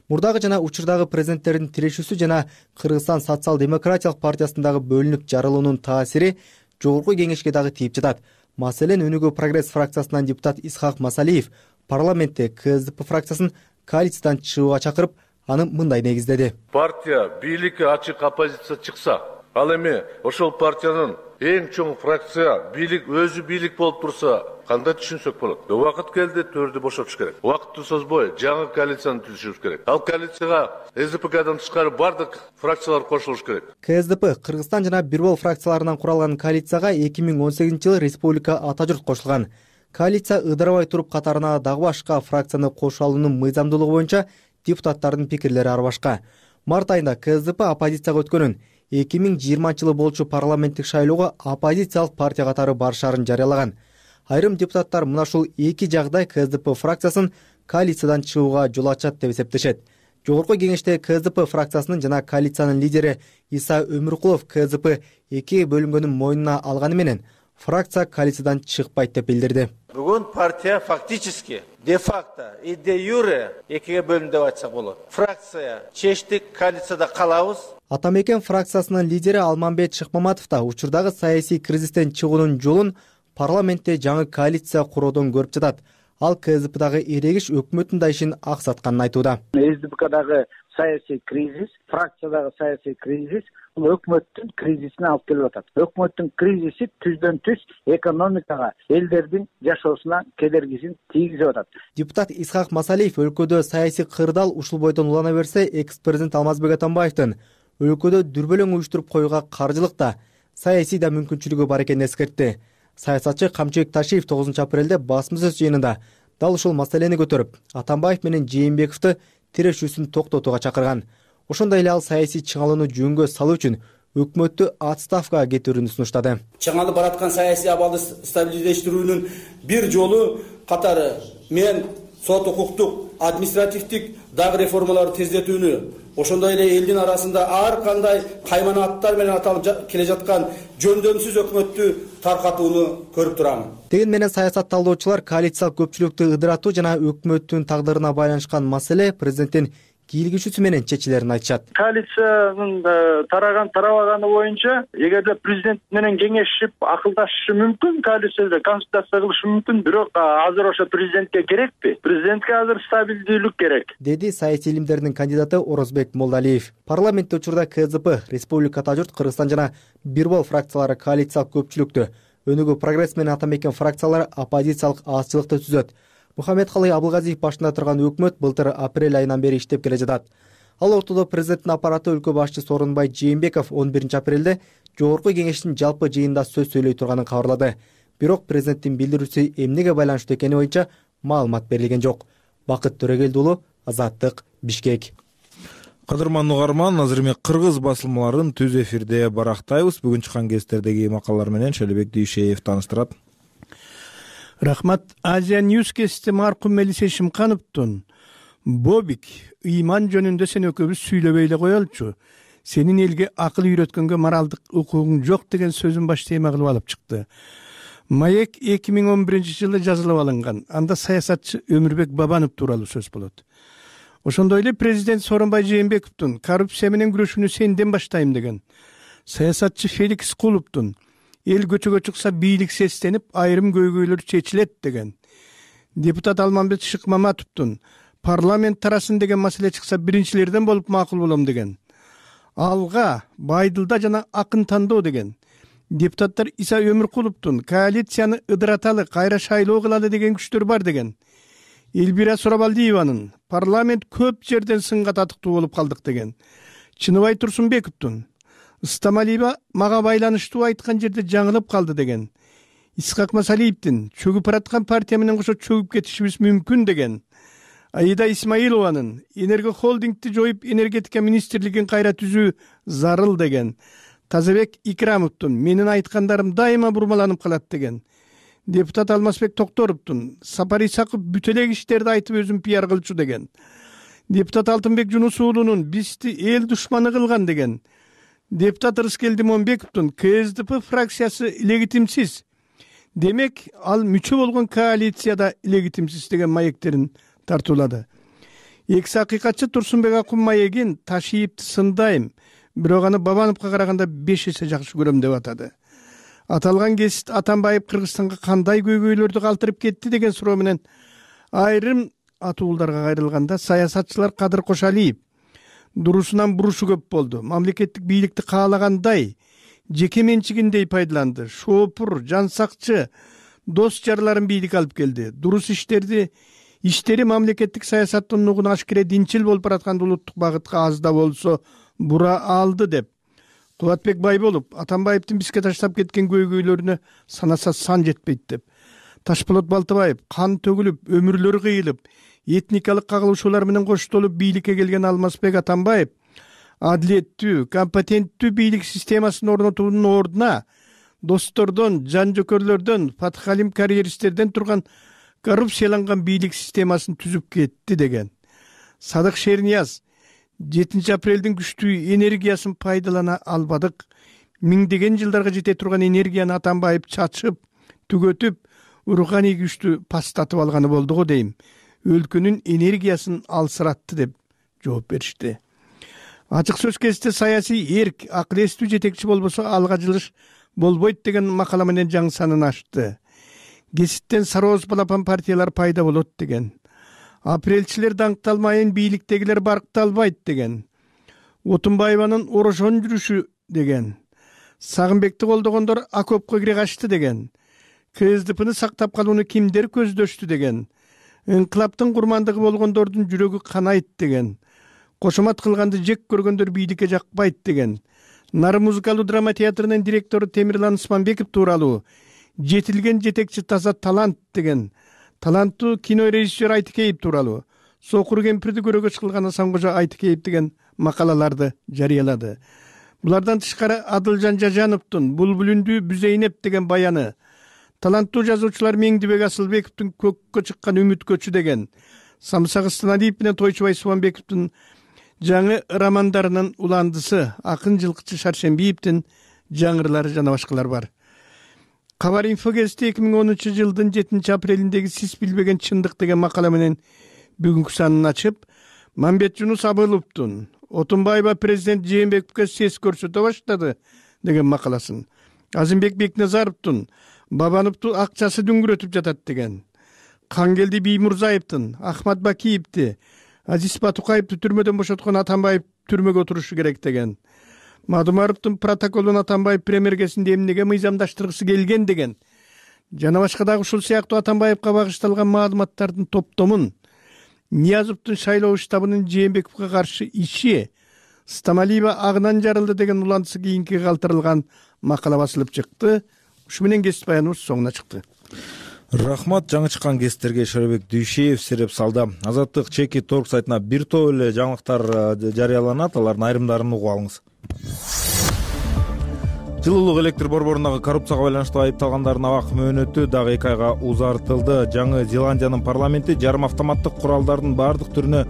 Мурдагы жана учурдагы президенттердин тирешүүсү жана Кыргызстан социал-демократиялык партиясындагы бөлүнүп жарылуунун таасири жогорку кеңешке дагы тийип жатат. Маселен, Өнүгүү прогресс фракциясынан депутат Исхак Масалиев парламентте КСДП фракциясын коалициядан чыгууга чакырып, аны мындай негиздеди. Партия бийликке ачык оппозиция чыкса, ал эми ошол партиянын эң чоң фракция бийлик өзү бийлик болуп турса, кандай түшүнсөк болот? Убакыт келди, төрдү бошотуш керек. Убакытты созбой жаңы коалицияны түзүшүбүз керек. Ал коалицияга СДПКдан тышкары бардык фракциялар кошулуш керек. КСДП, Кыргызстан жана Бир Бол фракцияларынан куралган коалицияга 2018-жылы республика ата журт кошулган. Коалиция ыдырабай туруп катарына дагы башка фракцияны кошо алуунун мыйзамдуулугу боюнча депутаттардын пикирлери ар башка. Март айында КСДП оппозицияга өткөнүн 2020-жылы болчу парламенттик шайлоого оппозициялык партия катары барышарын жарыялаган. Айрым депутаттар мына ушул эки жагдай КСДП фракциясын коалициядан чыгууга жол ачат деп эсептешет. Жогорку кеңеште КСДП фракциясынын жана коалициянын лидери Иса Өмүркулов КСДП экиге бөлүнгөнүн мойнуна алганы менен фракция коалициядан чыкпайт деп билдирди. Бүгүн партия фактически, де-факто и де-юре экиге бөлүндү деп айтсак болот. Фракция чечтик, коалицияда калабыз. Атамекен фракциясынын лидери Алмамбет Шыкмаматов да учурдагы саясий кризистен чыгуунун жолун парламентте жаңы коалиция куроодон көрүп жатат. Ал КСДПдагы эрегиш өкмөттүн да ишин аксатканын айтууда. СДПКдагы саясий кризис, фракциядагы саясий кризис бул өкмөттүн кризисине алып келип атат. Өкмөттүн кризиси түздөн түз экономикага, элдердин жашоосуна кедергисин тийгизип атат. Депутат Исхак Масалиев өлкөдө саясий кырдаал ушул бойдон улана берсе, экс-президент Алмазбек Атамбаевдин өлкөдө дүрбөлөң уюштуруп коюуга каржылык да, саясий да мүмкүнчүлүгү бар экенин эскертти. Саясатчы Камчыбек Ташиев 9 апрелде басма-сөз жыйынында дал ушул маселени көтөрүп, Атамбаев менен Жээнбековду тирешүүсүн токтотууга чакырган. Ошондой эле ал саясий чыңалууну жөнгө салуу үчүн өкмөттү отставкага кетирүүнү сунуштады. Чыңалып бараткан саясий абалды стабилдештирүүнүн бир жолу катары мен сот укуктук, административдик дагы реформаларды тездетүүнү, ошондой эле элдин арасында ар кандай кайманаттар менен аталып келе жаткан жөндөмсүз өкмөттү таркатууну көрүп турам. Деген менен саясат талдоочулар коалициялык көпчүлүктү ыдыратуу жана өкмөттүн тагдырына байланышкан маселе президенттин кийлигишүүсү менен чечилерин айтышат. Коалициянын тарабаганы боюнча, эгерде президент менен кеңешип акылдашышы мүмкүн, коалицияда консультация кылышы мүмкүн, бирок азыр ошо президентке керекпи? Президентке азыр стабилдүүлүк керек, деди саясий илимдердин кандидаты Орозбек Молдалиев. Парламентте учурда КСДП, Республика Ата журт, Кыргызстан жана Бир Бол фракциялары коалициялык көпчүлүктү, Өнүгүү прогресс менен Атамекен фракциялары оппозициялык азчылыкты түзөт. Мухаммедкалый Абылгазиев башында турган өкмөт былтыр апрель айынан бери иштеп келе жатат. Ал ортодо президенттин аппараты өлкө башчысы Сооронбай Жээнбеков 11 апрелде жогорку кеңештин жалпы жыйынында сөз сөйлөй турганын кабарлады. Бирок президенттин билдирүүсү эмнеге байланыштуу экени боюнча маалымат берилген жок. Бакыт Төрөгелди уулу, Азаттык, Бишкек. Кадырман угарман, азыр эми кыргыз басылмаларын түз эфирде барактайбыз. Бүгүн чыккан гезиттердеги макалалар менен Шелебек Дүйшеев тааныштырат. Рахмат. Азия Ньюс гезити маркум Мелисе Шимкановдун Бобик, ыйман жөнүндө сен экөөбүз сүйлөбөй эле коелучу. Сенин элге акыл үйрөткөнгө моралдык укугуң жок деген сөзүн баш тема кылып алып чыкты. Маек 2011-жылы жазылып алынган. Анда саясатчы Өмүрбек Бабанов тууралуу сөз болот. Ошондой эле президент Сооронбай Жээнбековдун коррупция менен күрөшүүнү сенден баштайм деген. Саясатчы Феликс Кулуптун эл көчөгө чыкса бийлик сестенип, айрым көйгөйлөр чечилет деген. Депутат Алмамбет Шыкмаматовдун парламент тарасын деген маселе чыкса биринчилерден болуп макул болом деген. Алга Байдылда жана Акын тандоо деген. Депутаттар Иса Өмүркуловдун коалицияны ыдыраталы, кайра шайлоо кылалы деген күчтөр бар деген. Элбира Сурабалдиеванын парламент көп жерден сынга татыктуу болуп калдык деген. Чыныбай Турсунбековдун Стамалиева мага байланыштуу айткан жерде жаңылып калды деген. Исхак Масалиевдин чөгүп бараткан партия менен кошо чөгүп кетишибиз мүмкүн деген. Аида Исмаилованын энерго холдингти жоюп энергетика министрлигин кайра түзүү зарыл деген. Тазабек Икрамовдун менин айткандарым дайыма бурмаланып калат деген. Депутат Алмазбек Токторовдун Сапар Исаков бүт эле иштерди айтып өзүн пиар кылчу деген. Депутат Алтынбек Жунус уулунун бизди эл душманы кылган деген. Депутат Рыскел Димонбековдун КСДП фракциясы легитимсиз. Демек, ал мүчө болгон коалицияда легитимсиз деген маектерин тартуулады. Экс акыйкатчы Турсунбек Акун маегин Ташиевди сындайм, бирок аны Бабановго караганда 5 эсе жакшы көрөм деп атады. Аталган кесип Атамбаев Кыргызстанга кандай көйгөйлөрдү калтырып кетти деген суроо менен айрым атуулдарга кайрылганда саясатчылар Кадыр Кошалиев дурусунан бурушу көп болду. Мамлекеттик бийликти каалагандай, жеке менчигиндей пайдаланды. Шоопур, жансакчы, дос жарларын бийлик алып келди. Дурус иштери мамлекеттик саясаттын нугуна ашкере динчил болуп бараткан улуттук багытка аз да болсо бура алды деп. Кубатбек Байболов Атамбаевдин бизге таштап кеткен көйгөйлөрүнө санаса сан жетпейт деп. Ташполот Балтыбаев кан төгүлүп, өмүрлөрү кыйылып, этникалык кагылышуулар менен коштолуп бийликке келген Алмазбек Атамбаев адилеттүү, компетенттүү бийлик системасын орнотуунун ордуна достордон, жан жөкөрлөрдөн, Фатхалим карьеристтерден турган коррупцияланган бийлик системасын түзүп кетти деген. Садык Шернияз 7 апрелдин күчтүү энергиясын пайдалана албадык. Миңдеген жылдарга жете турган энергияны Атамбаев чачып, түгөтүп, руханий күчтү пастатып алганы болду го дейм. Өлкөнүн энергиясын алсыратты деп жооп беришти. Ачык сөз кезинде саясий эрк, акыл эстүү жетекчи болбосо алга жылыш болбойт деген макала менен жаңы санын ачты. Кесиптен сарооз балапан партиялар пайда болот деген. Апрелчилер даңкталмайын, бийликтегилер баркталбайт деген. Отунбаеванын орошон жүрүшү деген. Сагынбекти колдогондор окопко кире качты деген. КСДПны сактап калууну кимдер көздөштү деген. Инкылаптын курмандыгы болгондордун жүрөгү канайт деген. Кошомат кылганды жек көргөндөр бийликке жакпайт деген. Нары музыкалдуу драма театрынын директору Темирлан Усманбеков тууралуу жетилген жетекчи таза талант деген. Таланттуу кинорежиссер Айтыкеев тууралуу Сокур кемпирди көрөгөч кылган Асанкожо Айтыкеев деген макалаларды жарыялады. Булардан тышкары Адылжан Жажановдун Булбулүндүү Бүзейнеп деген баяны, таланттуу жазуучулар Меңдибек Асылбековдун Көккө чыккан үмүткөчү деген, Самсак Ыстаналиев менен Тойчубай Субанбековдун жаңы романдарынын уландысы, акын жылкычы Шаршембиевдин жаңырлары жана башкалар бар. Кабар инфо гезити 2010 жылдын 7 апрелиндеги сиз билбеген чындык деген макала менен бүгүнкү санын ачып, Мамбет Жунус Абыловдун Отунбаева президент Жээнбековго сес көрсөтө баштады деген макаласын, Азимбек Бекназаровдун Бабановду акчасы дүңгүрөтүп жатат деген, Кангелди Биймурзаевдин Ахмат Бакиевди, Азиз Батукаевди түрмөдөн бошоткон Атамбаев түрмөгө отурушу керек деген, Мадумаровдун протоколун Атамбаев премьергесинде эмнеге мыйзамдаштыргысы келген деген, жана башка дагы ушул сыяктуу Атамбаевга багышталган маалыматтардын топтомун, Ниязовдун шайлоо штабынын Жээнбековго каршы иши, Стамалиева агынан жарылды деген улантысы кийинки калтырылган макала басылып чыкты. Ушу менен кесип баяныбыз соңуна чыкты. Рахмат. Жаңы чыккан кесиптерге Шарабек Дүйшеев сереп салды. Азаттык чеки торг сайтына бир топ эле жаңылыктар жарыяланат, алардын айрымдарын угуп алыңыз. Жылуулук электр борборундагы коррупцияга байланыштуу айыпталгандардын абак мөөнөтү дагы 2 айга узартылды. Жаңы Зеландиянын парламенти жарым автоматтык куралдардын бардык түрүнө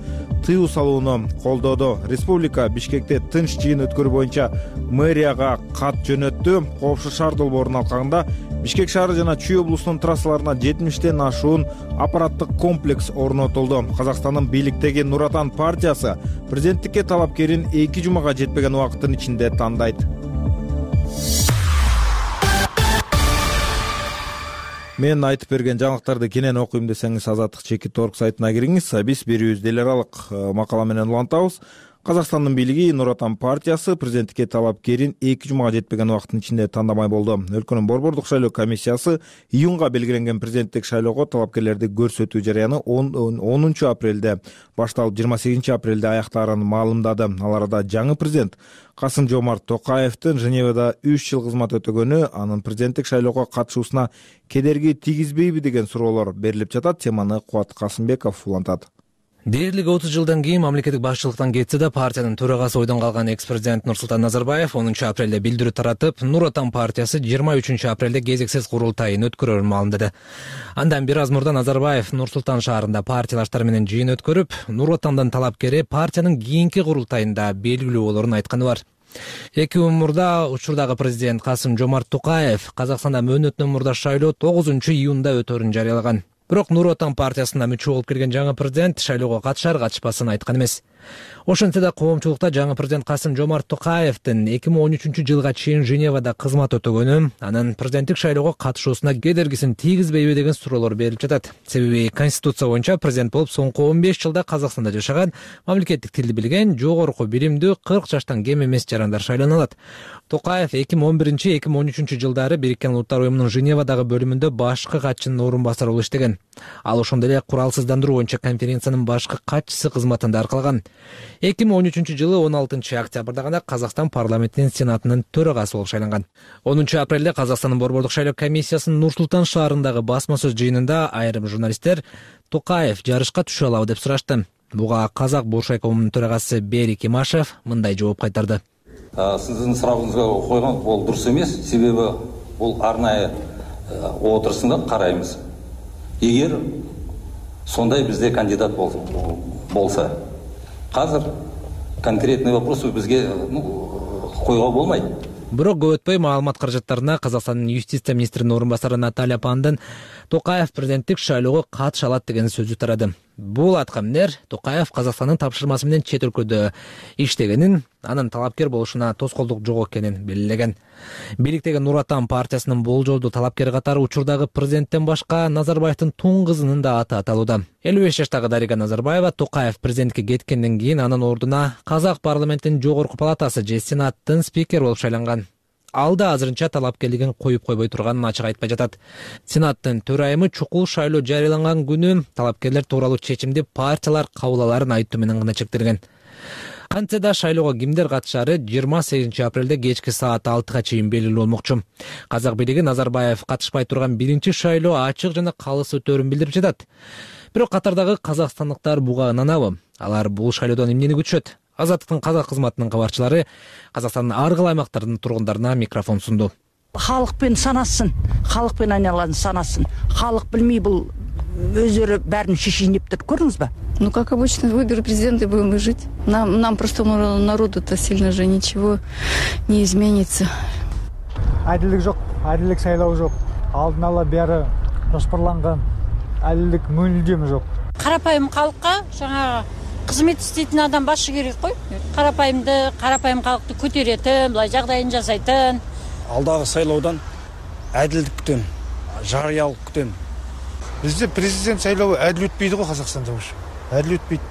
тыюу салууну колдоду. Республика Бишкекте тынч жыйын өткөрүү боюнча мэрияга кат жөнөттү. Коопсуз шаар долбоорунун алкагында Бишкек шаары жана Чүй облусунун трассаларына 70тен ашуун аппараттык комплекс орнотулду. Казакстандын бийликтеги Нур Отан партиясы президенттикке талапкерин 2 жумага жетпеген убакыттын ичинде тандайт. Мен айтып берген жаңылыктарды кенен окуйм десеңиз Азаттык чеки торг сайтына кириңиз. Биз берүүбүздү эл аралык макала менен улантабыз. Казакстандын бийлиги Нур Отан партиясы президенттикке талапкерин 2 жумага жетпеген убакыттын ичинде тандамай болду. Өлкөнүн борбордук шайлоо комиссиясы июнга белгиленген президенттик шайлоого талапкерлерди көрсөтүү жарыяны 10 апрелде башталып 28 апрелде аяктаарын маалымдады. Ал арада жаңы президент Касым-Жомарт Токаевдин Женевада 3 жыл кызмат өтөгөнү анын президенттик шайлоого катышуусуна кедерги тийгизбейби деген суроолор берилип жатат. Теманы Кубат Касымбеков улантат. Дээрлик 30 жылдан кийин мамлекеттик башчылыктан кетсе да партиянын төрагасы ойдон калган экс-президент Нурсултан Назарбаев 10 апрелде билдирүү таратып, Нур Отан партиясы 23 апрелде кезексиз курултайын өткөрөрүн маалымдады. Андан бир аз мурда Назарбаев Нур-Султан шаарында партиялаштар менен жыйын өткөрүп, Нур Отандын талапкери партиянын кийинки курултайында белгилүү болоорун айтканы бар. 2 күн мурда учурдагы президент Касым-Жомарт Токаев Казакстанда мөөнөтүнөн мурда шайлоо 9 июнда өтөөрүн жарыялаган. Бирок Нур Отан партиясына мүчө болуп келген жаңы президент шайлоого катышар-катышпасын айткан эмес. Ошентсе да коомчулукта жаңы президент Касым-Жомарт Токаевдин 2013 жылга чейин Женевада кызмат өтөгөнү, анын президенттик шайлоого катышуусуна кедергисин тийгизбейби деген суроолор берилип жатат. Себеби Конституция боюнча президент болуп соңку 15 жылда Казакстанда жашаган, мамлекеттик тилди билген, жогорку билимдүү 40 жаштан кем эмес жарандар шайлана алат. Токаев 2011-2013 жылдары Бириккен Улуттар уюмунун Женевадагы бөлүмүндө башкы катчынын орун басары болуп иштеген. Ал ошондой эле куралсыздандыруу боюнча конференциянын башкы катчысы кызматында аркалаган. 2013 жылы 16 октябрда гана Казакстан парламентинин сенатынын төрагасы болуп шайланган. 10 апрелде Казакстандын борбордук шайлоо комиссиясынын Нур-Султан шаарындагы басма сөз жыйынында айрым журналисттер Токаев жарышка түшө алабы деп сурашты. Буга Казак Буршайкомунун төрагасы Берик Имашев мындай жооп кайтарды. Сиздин сурагыңызга койгон бул дурус эмес, себеби бул арнайы отурусунда карайбыз. Эгер сондай бизде кандидат болса, азыр конкретный вопросы бизге койго болмайт. Бирок көп өтпөй маалымат каражаттарына Казакстандын юстиция министринин орун басары Наталья Пандын Токаев президенттик шайлоого катыша алат деген сөзү тарады. Бул айткан Токаев Казакстандын тапшырмасы менен чет өлкөдө иштегенин, анын талапкер болушуна тоскоолдук жок экенин белгилеген. Бийликтеги Нур Отан партиясынын болжолдуу талапкери катары учурдагы президенттен башка Назарбаевдин тун кызынын да аты аталууда. 55 жаштагы Дарига Назарбаева Токаев президентке кеткенден кийин анын ордуна Казак парламентинин жогорку палатасы же Сенаттын спикери болуп шайланган. Ал да азырынча талапкерлигин коюп койбой турганын ачык айтпай жатат. Сенаттын төрайымы чукул шайлоо жарыяланган күнү талапкерлер тууралуу чечимди партиялар кабыл аларын айтуу менен гана чектелген. Кантсе да шайлоого кимдер катышары 28 апрелде кечки саат 6га чейин белгилүү болмокчу. Казак бийлиги Назарбаев катышпай турган биринчи шайлоо ачык жана калыс өтөөрүн билдирип жатат. Бирок катардагы казакстандыктар буга ынанабы? Алар бул шайлоодон эмнени күтүшөт? Азаттыктын казак кызматынын кабарчылары Казакстандын ар кайсы аймактарынын тургундарына микрофон сунду. Халыкпен санасын, халыкпен айналаны санасын. Халық билмей бул өздөрү бәрін шешейин дептир, көрдүңүз ба? Ну, как обычно, выберут президента и будем жить. Нам просто народу-то сильно же ничего не изменится. Адилдик жок, адилдик шайлоо жок. Алдын ала баары жоспарланган. Адилдик мүлдем жок. Карапайым калкка жаңа кызмет иштейтин адам башы керек кой. Карапайым калкты көтөрөтүн, былай жагдайын жасайтын. Алдагы шайлоодон адилдик күтөм, жарыялык күтөм. Бизде президент шайлообу адил өтпөйдү го Казакстанда ушу. Адил өтпөйт.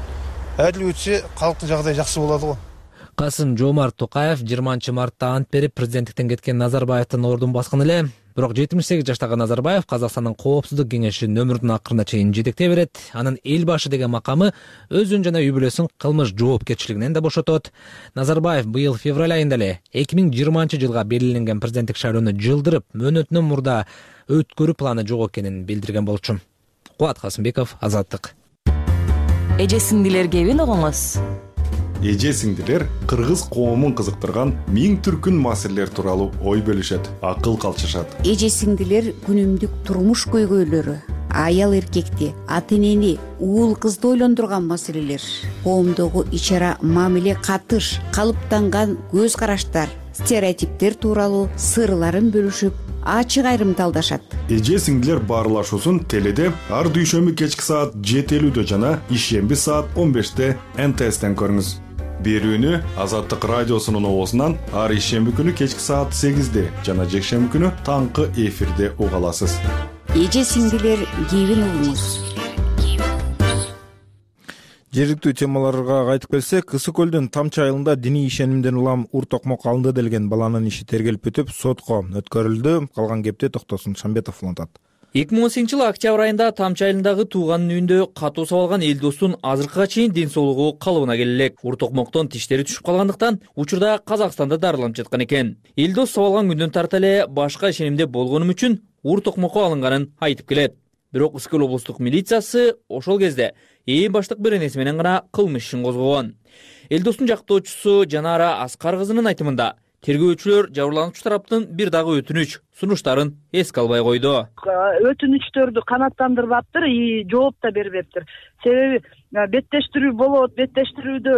Адил өтсө калктын жагдайы жакшы болот го. Касым-Жомарт Токаев 20 мартта ант берип президенттиктен кеткен Назарбаевдин ордун баскан эле. Бирок 78 жаштагы Назарбаев Казакстандын коопсуздук кеңешинин өмүрүнүн акырына чейин жетектей берет. Анын эл башы деген макамы өзүн жана үй бүлөсүн кылмыш жоопкерчилигинен да бошотот. Назарбаев быйыл февраль айында эле 2020 жылга белгиленген президенттик шайлоону жылдырып, мөөнөтүнөн мурда өткөрүү планы жок экенин билдирген болчу. Кубат Касымбеков, Азаттык. Эже сиңдилерге эбин огоңуз. Эже сиңдилер кыргыз коомун кызыктырган миң түркүн маселелер тууралуу ой бөлүшөт, акыл калчышат. Эже сиңдилер күнүмдүк турмуш көйгөйлөрү, аял эркекти, ата энени, уул кызды ойлондурган маселелер, коомдогу ич-ара мамиле, катыш, калыптанган көз караштар, стереотиптер тууралуу сырларын бөлүшүп, ачык айрымталдашат. Эже сиңдилер баарлашуусун теледе ар дүйшөмбү кечки саат 7:50 жана ишемби саат 15 НТСтен көрүңүз. Берүүнү Азаттык радиосунун оозунан ар ишемби күнү кечки саат 8 жана жекшемби күнү таңкы эфирде уга аласыз. Эже сиңдилер кебин угуңуз. Жергиликтүү темаларга кайтып келсек, Ысык көлдүн Тамчы айылында диний ишенимден улам ур токмок алынды делген баланын иши тергелип бүтүп, сотко өткөрүлдү. Калган кепти Токтосун Шамбетов улантат. 2018 жылы октябрь айында Тамчы айылындагы тууганын үйүндө катуу сабалган Элдостун азыркыга чейин ден соолугу калыбына келе элек. Ур токмоктон тиштери түшүп калгандыктан учурда Казакстанда дарыланып жаткан экен. Элдос сабалган күндөн тарта эле башка ишенимде болгонум үчүн ур токмокко алынганын айтып келет. Бирок Ыскөл облустук милициясы ошол кезде ээн баштык беренеси менен гана кылмыш ишин козгогон. Элдостун жактоочусу Жанара Аскар кызынын айтымында тергөөчүлөр жабырлануучу тараптын бир дагы өтүнүч сунуштарын эске албай койду. Өтүнүчтөрдү канааттандырбаптыр и жооп да бербептир. Себеби беттештирүү болот, беттештирүүдө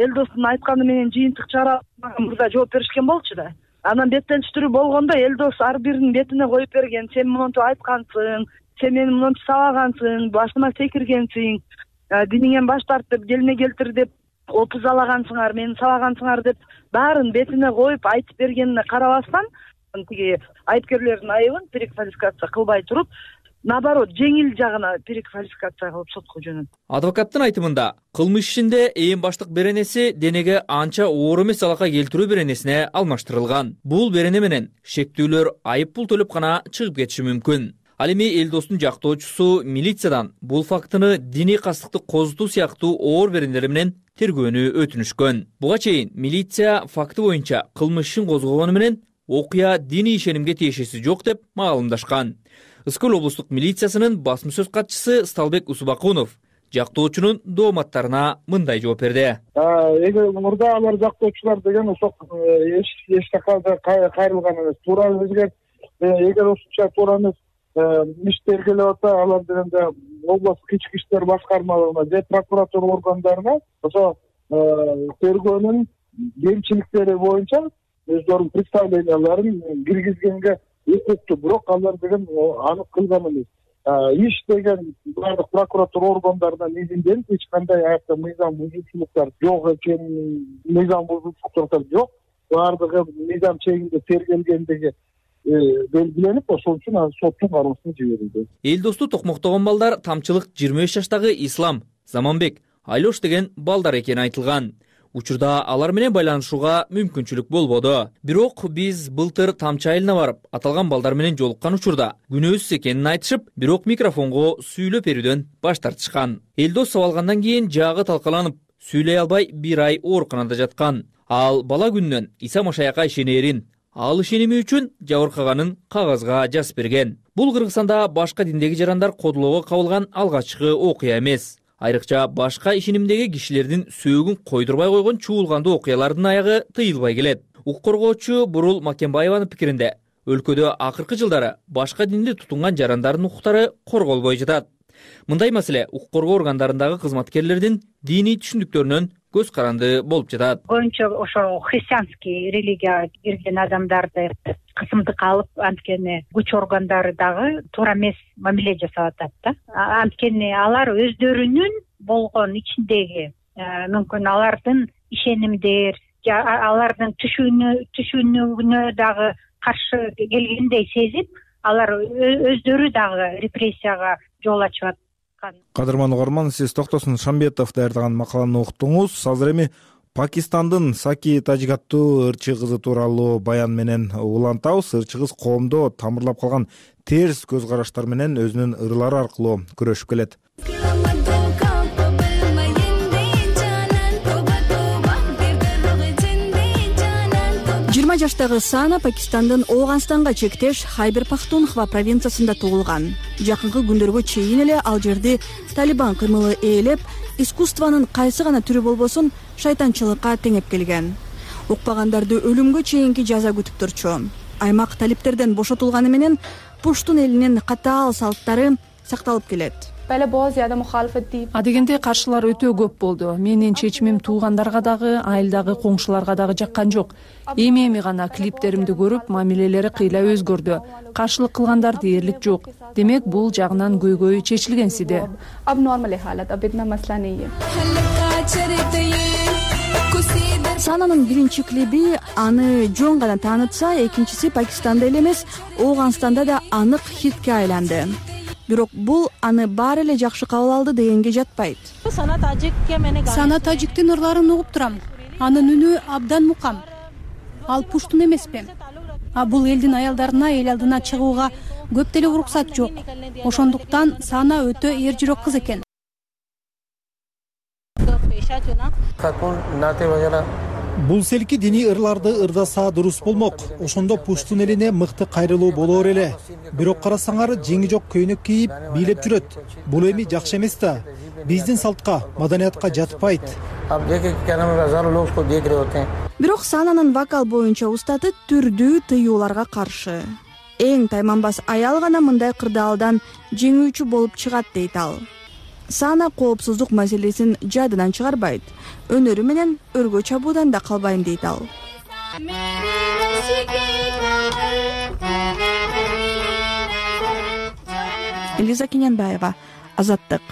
Элдостун айтканы менен жыйынтык чыгарып мурда жооп беришкен болчу да. Анан беттештирүү болгондо Элдос ар биринин бетине коюп берген: сен монтип айткансың, сен мени монтип сабагансың, башыма секиргенсиң, диниңен баш тарт деп, келине келтир деп, опузалагансыңар, мени сабагансыңар деп баарын бетине коюп айтып бергенине карабастан, тиги айыпкерлердин айыбын переквалификация кылбай туруп, наоборот, жеңил жагына переквалификация кылып сотко жөнөттү. Адвокаттын айтымында кылмыш ишинде ээн баштык беренеси денеге анча оор эмес залалга келтирүү беренесине алмаштырылган. Бул берене менен шектүүлөр айып пул төлөп гана чыгып кетиши мүмкүн. Ал эми Элдостун жактоочусу милициядан бул фактыны диний кастыкты козутуу сыяктуу оор беренелер менен тергөөнү өтүнүшкөн. Буга чейин милиция факты боюнча кылмыш ишин козгогону менен окуя диний ишенимге тиешеси жок деп маалымдашкан. Ыскөл облустук милициясынын басма сөз катчысы Сталбек Усубакунов жактоочунун дооматтарына мындай жооп берди. Эгер мурда алар жактоочулар деген ошол эч жака кайрылган эмес. Туура бизге эгер ошончо туура эмес иш тергелеп атса, алар дегенде областтык ички иштер башкармалыгына же прокуратура органдарына ошо тергөөнүн кемчиликтери боюнча өздөрүнүн представленияларын киргизгенге укуктуу, бирок алар деген анык кылган эмес. Иш деген баардык прокуратура органдарынан изинденип, эч кандай аякта мыйзам бузуучулуктар жок экенин, мыйзам бузуучулуктар жок, баардыгы мыйзам чегинде тергелгендиги белгиленип, ошол үчүн азыр соттун кароосуна жиберилди. Элдосту токмоктогон балдар тамчылык 23 жаштагы Ислам, Заманбек, Айлош деген балдар экени айтылган. Учурда алар менен байланышууга мүмкүнчүлүк болбоду. Бирок биз былтыр Тамчы айылына барып, аталган балдар менен жолуккан учурда күнөөсүз экенин айтышып, бирок микрофонго сүйлөп берүүдөн баш тартышкан. Элдос сабалгандан кийин жагы талкаланып, сүйлөй албай 1 ай ооруканада жаткан. Ал бала күнүнөн Иса Машаякка ишенерин, ал ишеними үчүн жабыркаганын кагазга жазып берген. Бул Кыргызстанда башка диндеги жарандар кодулоого кабылган алгачкы окуя эмес. Айрыкча башка ишенимдеги кишилердин сөөгүн койдурбай койгон чуулгандуу окуялардын аягы тыйылбай келет. Укук коргоочу Бурул Макенбаеванын пикиринде, өлкөдө акыркы жылдары башка динди тутунган жарандардын укуктары корголбой жатат. Мындай маселе укук коргоо органдарындагы кызматкерлердин диний түшүндүктөрүнөн көз каранды болуп жатат. Көбүнчө ошо христианский религияга кирген адамдарды кысымдыкка алып, анткени күч органдары дагы туура эмес мамиле жасап атат да. Анткени алар өздөрүнүн болгон ичиндеги мүмкүн алардын ишенимдер, алардын түшүнүгүнө дагы каршы келгендей сезип, алар өздөрү дагы репрессияга жол ачып аткан. Кадырман угарман, сиз Токтосун Шамбетов даярдаган макаланы уктуңуз. Азыр эми Пакистандын Саки Тажгаттуу ырчы кызы тууралуу баян менен улантабыз. Ырчы кыз коомдо тамырлап калган терс көз караштар менен өзүнүн ырлары аркылуу күрөшүп келет. 20 жаштагы Сана Пакистандын Ооганстанга чектеш Хайбер Пахтунхва провинциясында туулган. Жакынкы күндөргө чейин эле ал жерди Талибан кыймылы ээлеп, искусствонун кайсы гана түрү болбосун шайтанчылыкка теңеп келген. Укпагандарды өлүмгө чейинки жаза күтүп турчу. Аймак талиптерден бошотулганы менен пуштун элинин катаал салттары сакталып келет. Адегенде каршылар өтө көп болду. Менин чечимим туугандарга дагы, айылдагы коңшуларга дагы жаккан жок. Эми гана клиптеримди көрүп, мамилелери кыйла өзгөрдү. Каршылык кылгандар дээрлик жок. Демек, бул жагынан көйгөй чечилгенсиде. Сананын биринчи клиби аны жон гана таанытса, экинчиси Пакистанда эле эмес, Ооганстанда да анык хитке айланды. Бирок бул аны баары эле жакшы кабыл алды дегенге жатпайт. Сана тажиктин ырларын угуп турам. Анын үнү абдан мукам. Ал пуштун эмеспи? Бул элдин аялдарына эл алдына чыгууга көп деле уруксат жок. Ошондуктан Сана өтө эр жүрөк кыз экен. Бул селки диний ырларды ырдаса дурус болмок. Ошондо пуштун элине мыкты кайрылуу болоор эле. Бирок карасаңар жеңи жок көйнөк кийип бийлеп жүрөт. Бул эми жакшы эмес да. Биздин салтка, маданиятка жатпайт. Бирок Сананын вокал боюнча устаты түрдүү тыюуларга каршы. Эң тайманбас аял гана мындай кырдаалдан жеңүүчү болуп чыгат дейт ал. Сана коопсуздук маселесин жадынан чыгарбайт. Өнөрү менен өргө чабуудан да калбайм дейт ал. Элиза Кененбаева, Азаттык.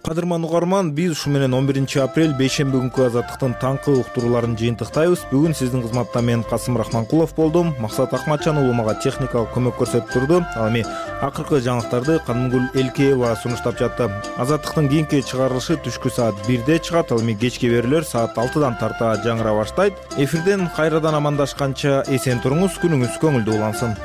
Кадырман угарман, биз ушу менен 11 апрель бейшемби күнкү Азаттыктын таңкы уктурууларын жыйынтыктайбыз. Бүгүн сиздин кызматта мен Касым Рахманкулов болдум. Максат Акматжан уулу мага техникалык көмөк көрсөтүп турду. Ал эми акыркы жаңылыктарды Канымгүл Элкеева сунуштап жатты. Азаттыктын кийинки чыгарылышы түшкү саат 1де чыгат. Ал эми кечки берүүлөр саат 6дан тарта жаңыра баштайт. Эфирден кайрадан амандашканча эсен туруңуз, күнүңүз көңүлдүү улансын.